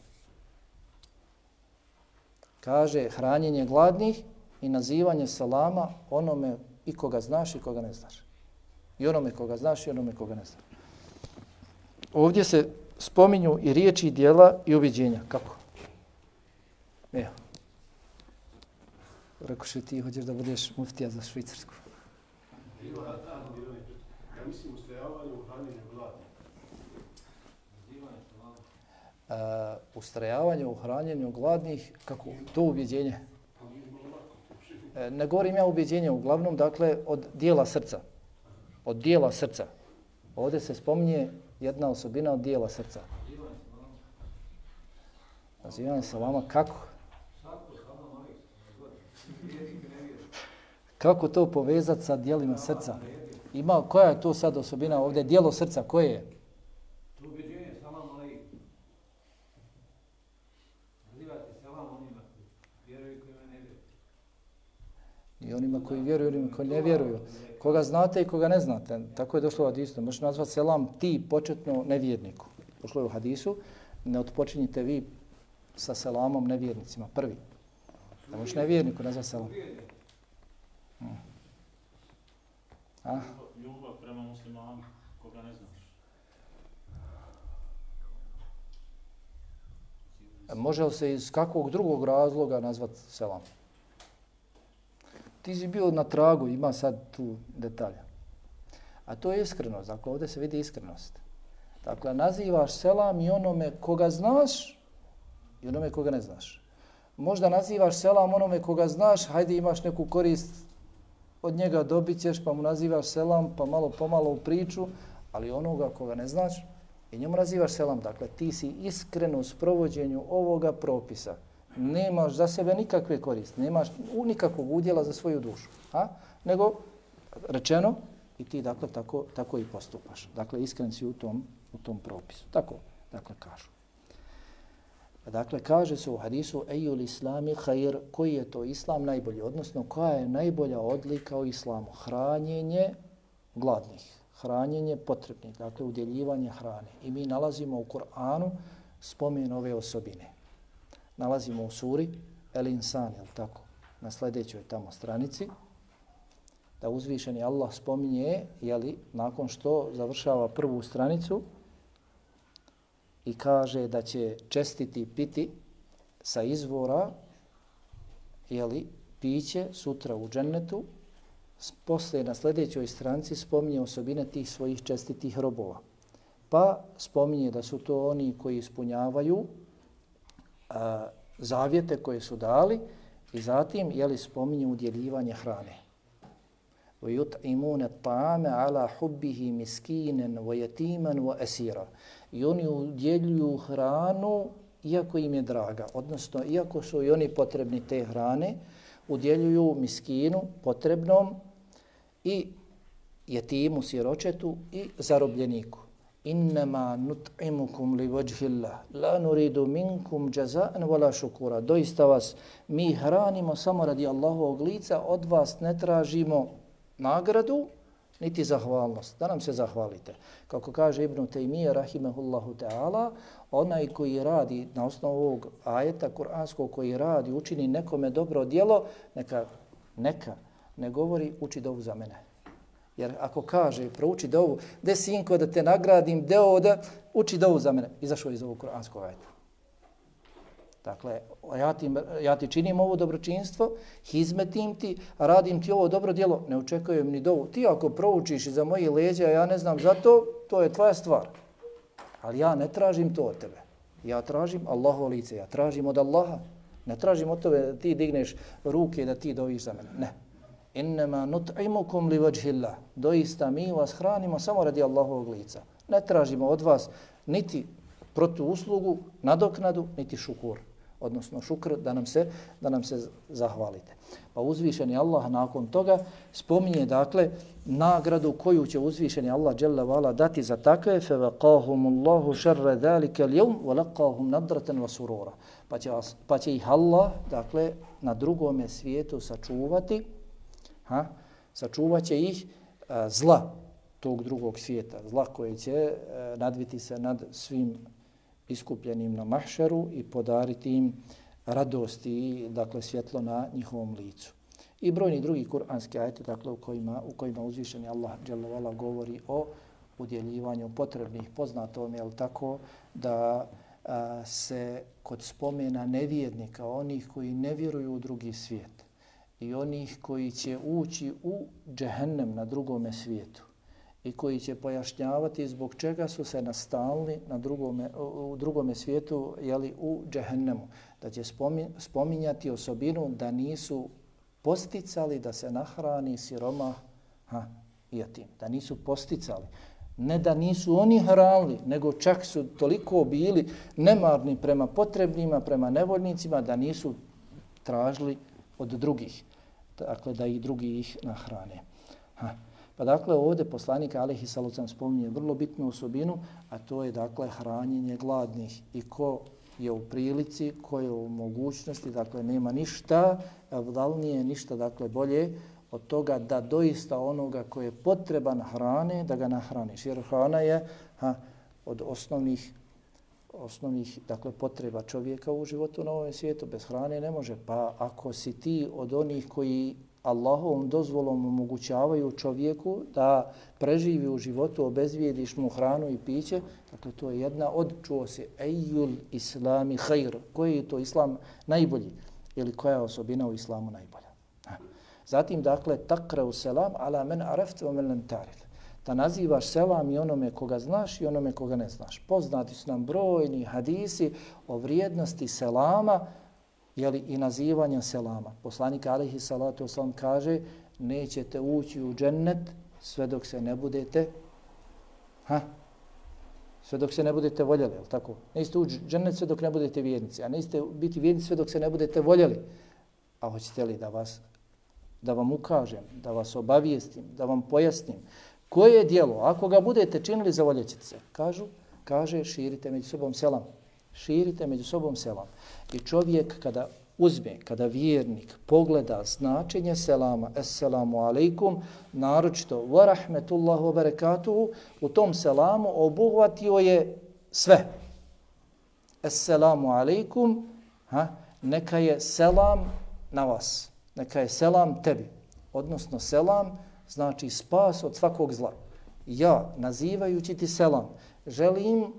Kaže hranjenje gladnih i nazivanje salama onome i koga znaš i koga ne znaš. I onome koga znaš i onome koga ne znaš. Ovdje se spominju i riječi i djela i ubjeđenja. Kako? Evo. Rekoše ti hoćeš da budeš muftija za Švicarsku. Ja mislim ustrajavanje u hranjenju gladnih. Uh, ustrajavanje u hranjenju gladnih, kako? To ubjeđenje. E, ne govorim ja ubjeđenje, uglavnom, dakle, od dijela srca. Od dijela srca. Ovdje se spominje jedna osobina od dijela srca. Nazivanje salama, kako? Kako to povezati sa dijelima srca? Ima, koja je to sad osobina ovdje? Dijelo srca, koje je? I onima koji vjeruju, i onima koji ne vjeruju. Koga znate i koga ne znate. Tako je došlo u hadisu. Možeš nazvati selam ti početno nevjerniku. Došlo je u hadisu. Ne odpočinjite vi sa selamom nevjernicima. Prvi. Da možeš nevjerniku nazvati selam. Hmm. A? Ljubav prema muslimanu, koga ne znaš. Može li se iz kakvog drugog razloga nazvati selam? Ti si bio na tragu, ima sad tu detalja. A to je iskrenost, dakle ovdje se vidi iskrenost. Dakle, nazivaš selam i onome koga znaš i onome koga ne znaš. Možda nazivaš selam onome koga znaš, hajde imaš neku korist od njega, dobit ćeš, pa mu nazivaš selam, pa malo pomalo u priču, ali onoga koga ne znaš i njemu nazivaš selam. Dakle, ti si iskren u sprovođenju ovoga propisa. Nemaš za sebe nikakve koriste, nemaš nikakvog udjela za svoju dušu. A? Nego, rečeno, i ti dakle tako, tako i postupaš. Dakle, iskren si u tom, u tom propisu. Tako, dakle, kažu. Dakle, kaže se u hadisu ejul islami khair, koji je to islam najbolji, odnosno koja je najbolja odlika u islamu? Hranjenje gladnih, hranjenje potrebnih, dakle udjeljivanje hrane. I mi nalazimo u Kur'anu spomen ove osobine. Nalazimo u suri El Insan, jel tako, na sljedećoj tamo stranici, da uzvišeni Allah spominje, jeli, nakon što završava prvu stranicu i kaže da će čestiti piti sa izvora, jeli, piće sutra u džennetu. Poslije na sljedećoj stranici spominje osobine tih svojih čestitih robova. Pa spominje da su to oni koji ispunjavaju a, zavjete koje su dali i zatim, jeli, spominje udjeljivanje hrane. وَيُطْعِمُونَ الطَّعَامَ عَلَى حُبِّهِ مِسْكِينًا وَيَتِيمًا وَأَسِيرًا. I oni udjeljuju hranu iako im je draga, odnosno iako su i oni potrebni te hrane, udjeljuju miskinu potrebnom i jetimu, siročetu i zarobljeniku. Innama nut'imukum li vajhillah la nuridu minkum jaza'an wala shukura. Doista vas mi hranimo samo radi Allahovog lica, od vas ne tražimo nagradu niti zahvalnost, da nam se zahvalite. Kako kaže Ibn Taymije rahimehullahu ta'ala, onaj koji radi na osnovu ovog ajeta kuranskog, koji radi, učini nekome dobro djelo, neka, neka ne govori uči dovu za mene. Jer ako kaže prouči dovu, de sinko da te nagradim, deo da uči dovu za mene, izašao iz ovog kuranskog ajeta. Dakle, ja ti, ja ti činim ovo dobročinstvo, hizmetim ti, radim ti ovo dobro djelo, ne očekujem ni dovu. Ti ako proučiš iza mojih leđa, ja ne znam za to, to je tvoja stvar. Ali ja ne tražim to od tebe. Ja tražim Allahovo lice, ja tražim od Allaha. Ne tražim od tebe da ti digneš ruke da ti doviš za mene. Ne. Innama nut'imukum li vajhillah. Doista mi vas hranimo samo radi Allahovog lica. Ne tražimo od vas niti protuuslugu, nadoknadu, niti šukur. Odnosno šukr da nam se da nam se zahvalite. Pa uzvišeni Allah nakon toga spominje dakle nagradu koju će uzvišeni Allah dželle vala dati za takve, fa waqahumullahu sharra zalika al-yawm wa laqahum nadratan wa surura. Pa će, pa će ih Allah dakle na drugome svijetu sačuvati, ha? Sačuvaće ih a, zla tog drugog svijeta, zla koje će a, nadviti se nad svim iskupljenim na mahšeru i podariti im radost i dakle svjetlo na njihovom licu. I brojni drugi kuranski ajeti dakle u kojima u kojima uzvišeni Allah dželle vala govori o udjeljivanju potrebnih. Poznato vam je l' tako da a, se kod spomena nevjernika, onih koji ne vjeruju u drugi svijet i onih koji će ući u džehennem na drugome svijetu i koji će pojašnjavati zbog čega su se nastalili na drugome, u drugome svijetu, jeli, u džehennemu. Da će spominjati osobinu da nisu posticali da se nahrani siromah ha, i jatim. Da nisu posticali. Ne da nisu oni hranili, nego čak su toliko bili nemarni prema potrebnima, prema nevoljnicima, da nisu tražili od drugih. Dakle, da ih drugi ih nahrane. Ha. Pa dakle ovdje poslanik alejhi salatu vesselam spominje vrlo bitnu osobinu, a to je dakle hranjenje gladnih. I ko je u prilici, ko je u mogućnosti, dakle nema ništa vdalnije, ništa dakle bolje od toga da doista onoga koji je potreban hrane, da ga nahraniš. Jer hrana je ha, od osnovnih, osnovnih dakle, potreba čovjeka u životu na ovom svijetu. Bez hrane ne može. Pa ako si ti od onih koji Allahovom dozvolom omogućavaju čovjeku da preživi u životu, obezvijediš mu hranu i piće, dakle to je jedna od, čuo se, ejul islami hajr, koji je to islam najbolji ili koja je osobina u islamu najbolja. Zatim, dakle, takreu selam ala men arafte o men len tarif. Da nazivaš selam i onome koga znaš i onome koga ne znaš. Poznati su nam brojni hadisi o vrijednosti selama, jeli, i nazivanja selama. Poslanik alejhi salatu vesselam kaže nećete ući u džennet sve dok se ne budete ha, sve dok se ne budete voljeli, je li tako? Nećete ući u džennet sve dok ne budete vjernici, a nećete biti vjernici sve dok se ne budete voljeli. A hoćete li da vas da vam ukažem, da vas obavijestim, da vam pojasnim koje je djelo, ako ga budete činili, zavoljećete se. Kažu, kaže, širite među sobom selam. Širite među sobom selam. I čovjek kada uzme, kada vjernik pogleda značenje selama, assalamu alaikum, naročito wa rahmetullahu wa barakatuhu, u tom selamu obuhvatio je sve. Assalamu alaikum, ha, neka je selam na vas, neka je selam tebi, odnosno selam znači spas od svakog zla. Ja, nazivajući ti selam, želim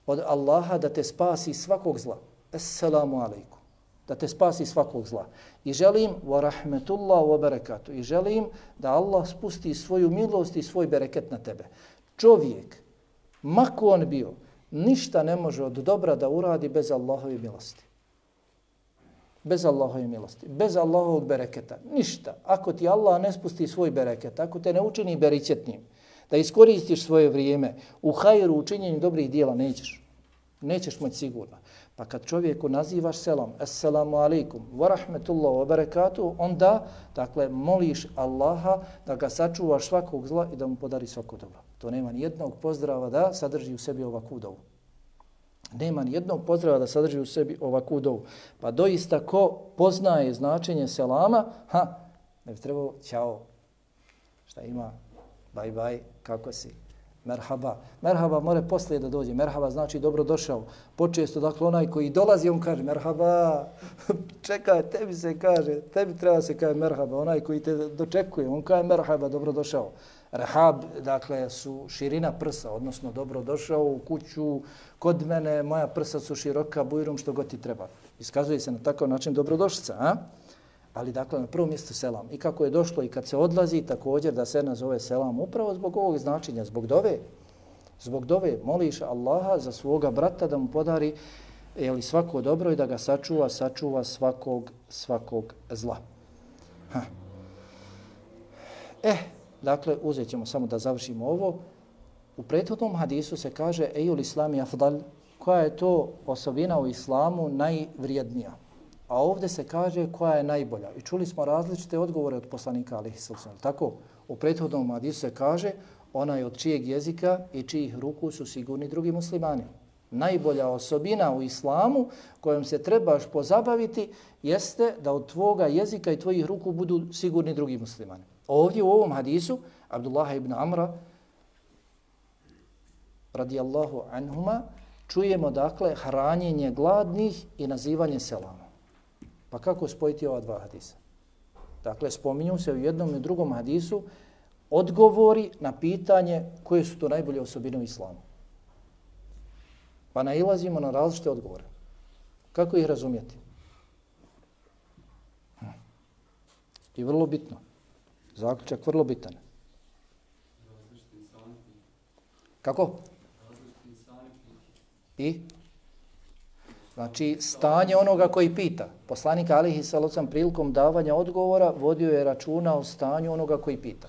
od Allaha da te spasi svakog zla. Assalamu alaikum. Da te spasi svakog zla. I želim wa rahmetullahu wa barakatuh. I želim da Allah spusti svoju milost i svoj bereket na tebe. Čovjek, mako on bio, ništa ne može od dobra da uradi bez Allahove milosti. Bez Allahove milosti. Bez Allahovog bereketa. Ništa. Ako ti Allah ne spusti svoj bereket, ako te ne učini beričetnim, da iskoristiš svoje vrijeme u hajru, u činjenju dobrih dijela, nećeš. Nećeš moći sigurno. Pa kad čovjeku nazivaš selam, assalamu alaikum, wa rahmetullahu wa barakatuh, onda, dakle, moliš Allaha da ga sačuvaš svakog zla i da mu podari svako dobro. To nema ni jednog pozdrava da sadrži u sebi ovakvu dovu. Nema ni jednog pozdrava da sadrži u sebi ovakvu dovu. Pa doista ko poznaje značenje selama, ha, ne bi trebao, ćao, šta ima, bye bye, kako si? Merhaba. Merhaba more poslije da dođe. Merhaba znači dobrodošao. Počesto, dakle, onaj koji dolazi, on kaže merhaba. Čekaj, tebi se kaže, tebi treba se kaže merhaba. Onaj koji te dočekuje, on kaže merhaba, dobrodošao. Rehab, dakle, su širina prsa, odnosno dobrodošao u kuću, kod mene, moja prsa su široka, bujrum, što god ti treba. Iskazuje se na takav način dobrodošlica, a? Ali dakle na prvom mjestu selam. I kako je došlo i kad se odlazi, također da se nazove selam upravo zbog ovog značenja, zbog dove. Zbog dove moliš Allaha za svoga brata da mu podari jeli, svako dobro i da ga sačuva, sačuva svakog, svakog zla. Ha. Eh, dakle, uzet ćemo samo da završimo ovo. U prethodnom hadisu se kaže ejul islami afdal, koja je to osobina u islamu najvrijednija. A ovdje se kaže koja je najbolja. I čuli smo različite odgovore od poslanika alejhi selam. Tako, u prethodnom hadisu se kaže onaj od čijeg jezika i čijih ruku su sigurni drugi muslimani. Najbolja osobina u islamu kojom se trebaš pozabaviti jeste da od tvoga jezika i tvojih ruku budu sigurni drugi muslimani. Ovdje u ovom hadisu Abdullah ibn Amra radijallahu anhuma čujemo dakle hranjenje gladnih i nazivanje selama. Pa kako spojiti ova dva hadisa? Dakle, spominju se u jednom i drugom hadisu odgovori na pitanje koje su to najbolje osobine u islamu. Pa nailazimo na različite odgovore. Kako ih razumjeti? Hm. I vrlo bitno. Zaključak vrlo bitan. Kako? I? Znači, stanje onoga koji pita. Poslanik alejhi selam prilikom davanja odgovora vodio je računa o stanju onoga koji pita.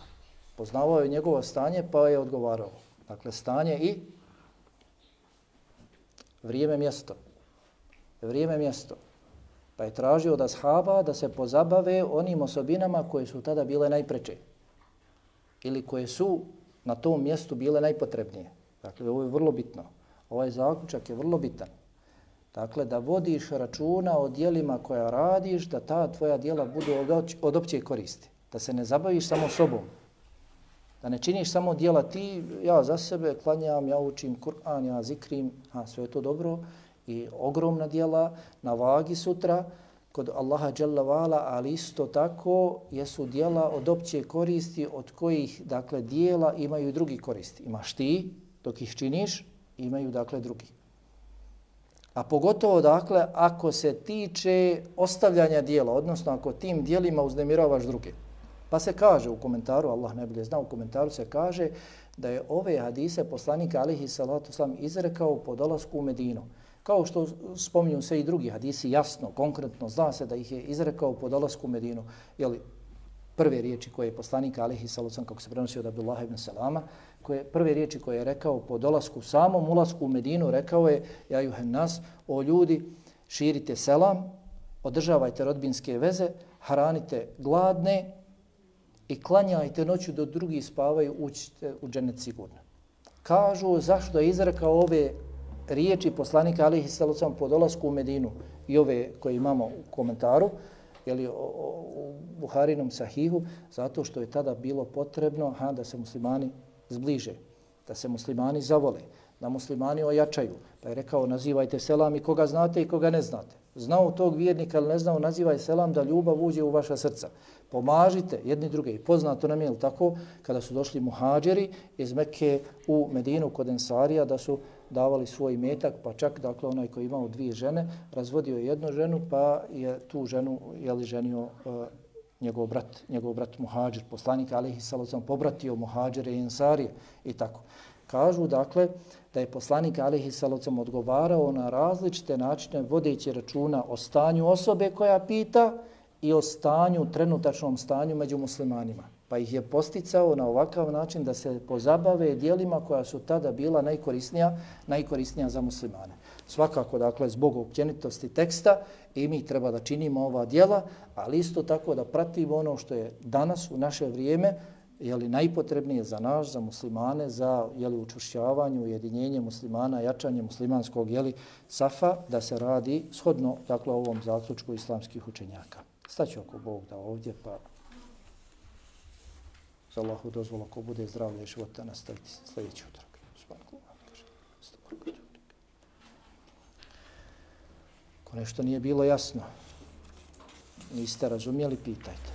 Poznavao je njegovo stanje pa je odgovarao. Dakle, stanje i vrijeme, mjesto. Vrijeme, mjesto. Pa je tražio od ashaba da se pozabave onim osobinama koje su tada bile najpreče. Ili koje su na tom mjestu bile najpotrebnije. Dakle, ovo je vrlo bitno. Ovaj zaključak je vrlo bitan. Dakle, da vodiš računa o dijelima koja radiš, da ta tvoja dijela budu od opće koristi. Da se ne zabaviš samo sobom. Da ne činiš samo dijela ti, ja za sebe klanjam, ja učim Kur'an, ja zikrim, a sve je to dobro i ogromna dijela na vagi sutra kod Allaha dželle vala, ali isto tako jesu dijela od opće koristi od kojih, dakle, dijela imaju drugi koristi. Imaš ti, dok ih činiš, imaju, dakle, drugi. A pogotovo, dakle, ako se tiče ostavljanja dijela, odnosno ako tim dijelima uznemiravaš druge. Pa se kaže u komentaru, Allah najbolje zna, u komentaru se kaže da je ove hadise poslanik alejhi salatu selam izrekao po dolasku u Medinu. Kao što spominju se i drugi hadisi, jasno, konkretno, zna se da ih je izrekao po dolasku u Medinu. Jeli, prve riječi koje je poslanik alejhi salatu selam, kako se prenosi od Abdullah ibn Salama, koje, prve riječi koje je rekao po dolasku, samom ulasku u Medinu, rekao je ja juhen nas, o ljudi, širite selam, održavajte rodbinske veze, hranite gladne i klanjajte noću do drugi spavaju, uđite u džennet sigurno. Kažu zašto je izrekao ove riječi poslanika alejhi selatu vesselam po dolasku u Medinu i ove koje imamo u komentaru, jeli, u Buharinom sahihu, zato što je tada bilo potrebno ha, da se muslimani zbliže, da se muslimani zavole, da muslimani ojačaju. Pa je rekao, nazivajte selam i koga znate i koga ne znate. Znao tog vjernika ili ne znao, nazivaj selam da ljubav uđe u vaša srca. Pomažite jedni druge. I poznato nam je tako, kada su došli muhađeri iz Mekke u Medinu kod Ensarija, da su davali svoj metak, pa čak dakle onaj koji imao dvije žene, razvodio je jednu ženu, pa je tu ženu jeli, ženio uh, njegov brat, njegov brat muhađir, poslanik alejhi selatu vesselam pobratio muhađire i Ensarije i tako. Kažu dakle da je poslanik alejhi selatu vesselam odgovarao na različite načine vodeći računa o stanju osobe koja pita i o stanju, trenutačnom stanju među muslimanima. Pa ih je posticao na ovakav način da se pozabave djelima koja su tada bila najkorisnija, najkorisnija za muslimane. Svakako, dakle, zbog općenitosti teksta i mi treba da činimo ova djela, ali isto tako da pratimo ono što je danas u naše vrijeme jeli, najpotrebnije za nas, za muslimane, za jeli, učvršćavanje, ujedinjenje muslimana, jačanje muslimanskog jeli, safa, da se radi shodno dakle, ovom zaključku islamskih učenjaka. Staću ako Bog da ovdje, pa za Allahu dozvolu, ako bude zdravlje i života, nastaviti sljedeći utorak. Ako nešto nije bilo jasno, niste razumjeli, pitajte.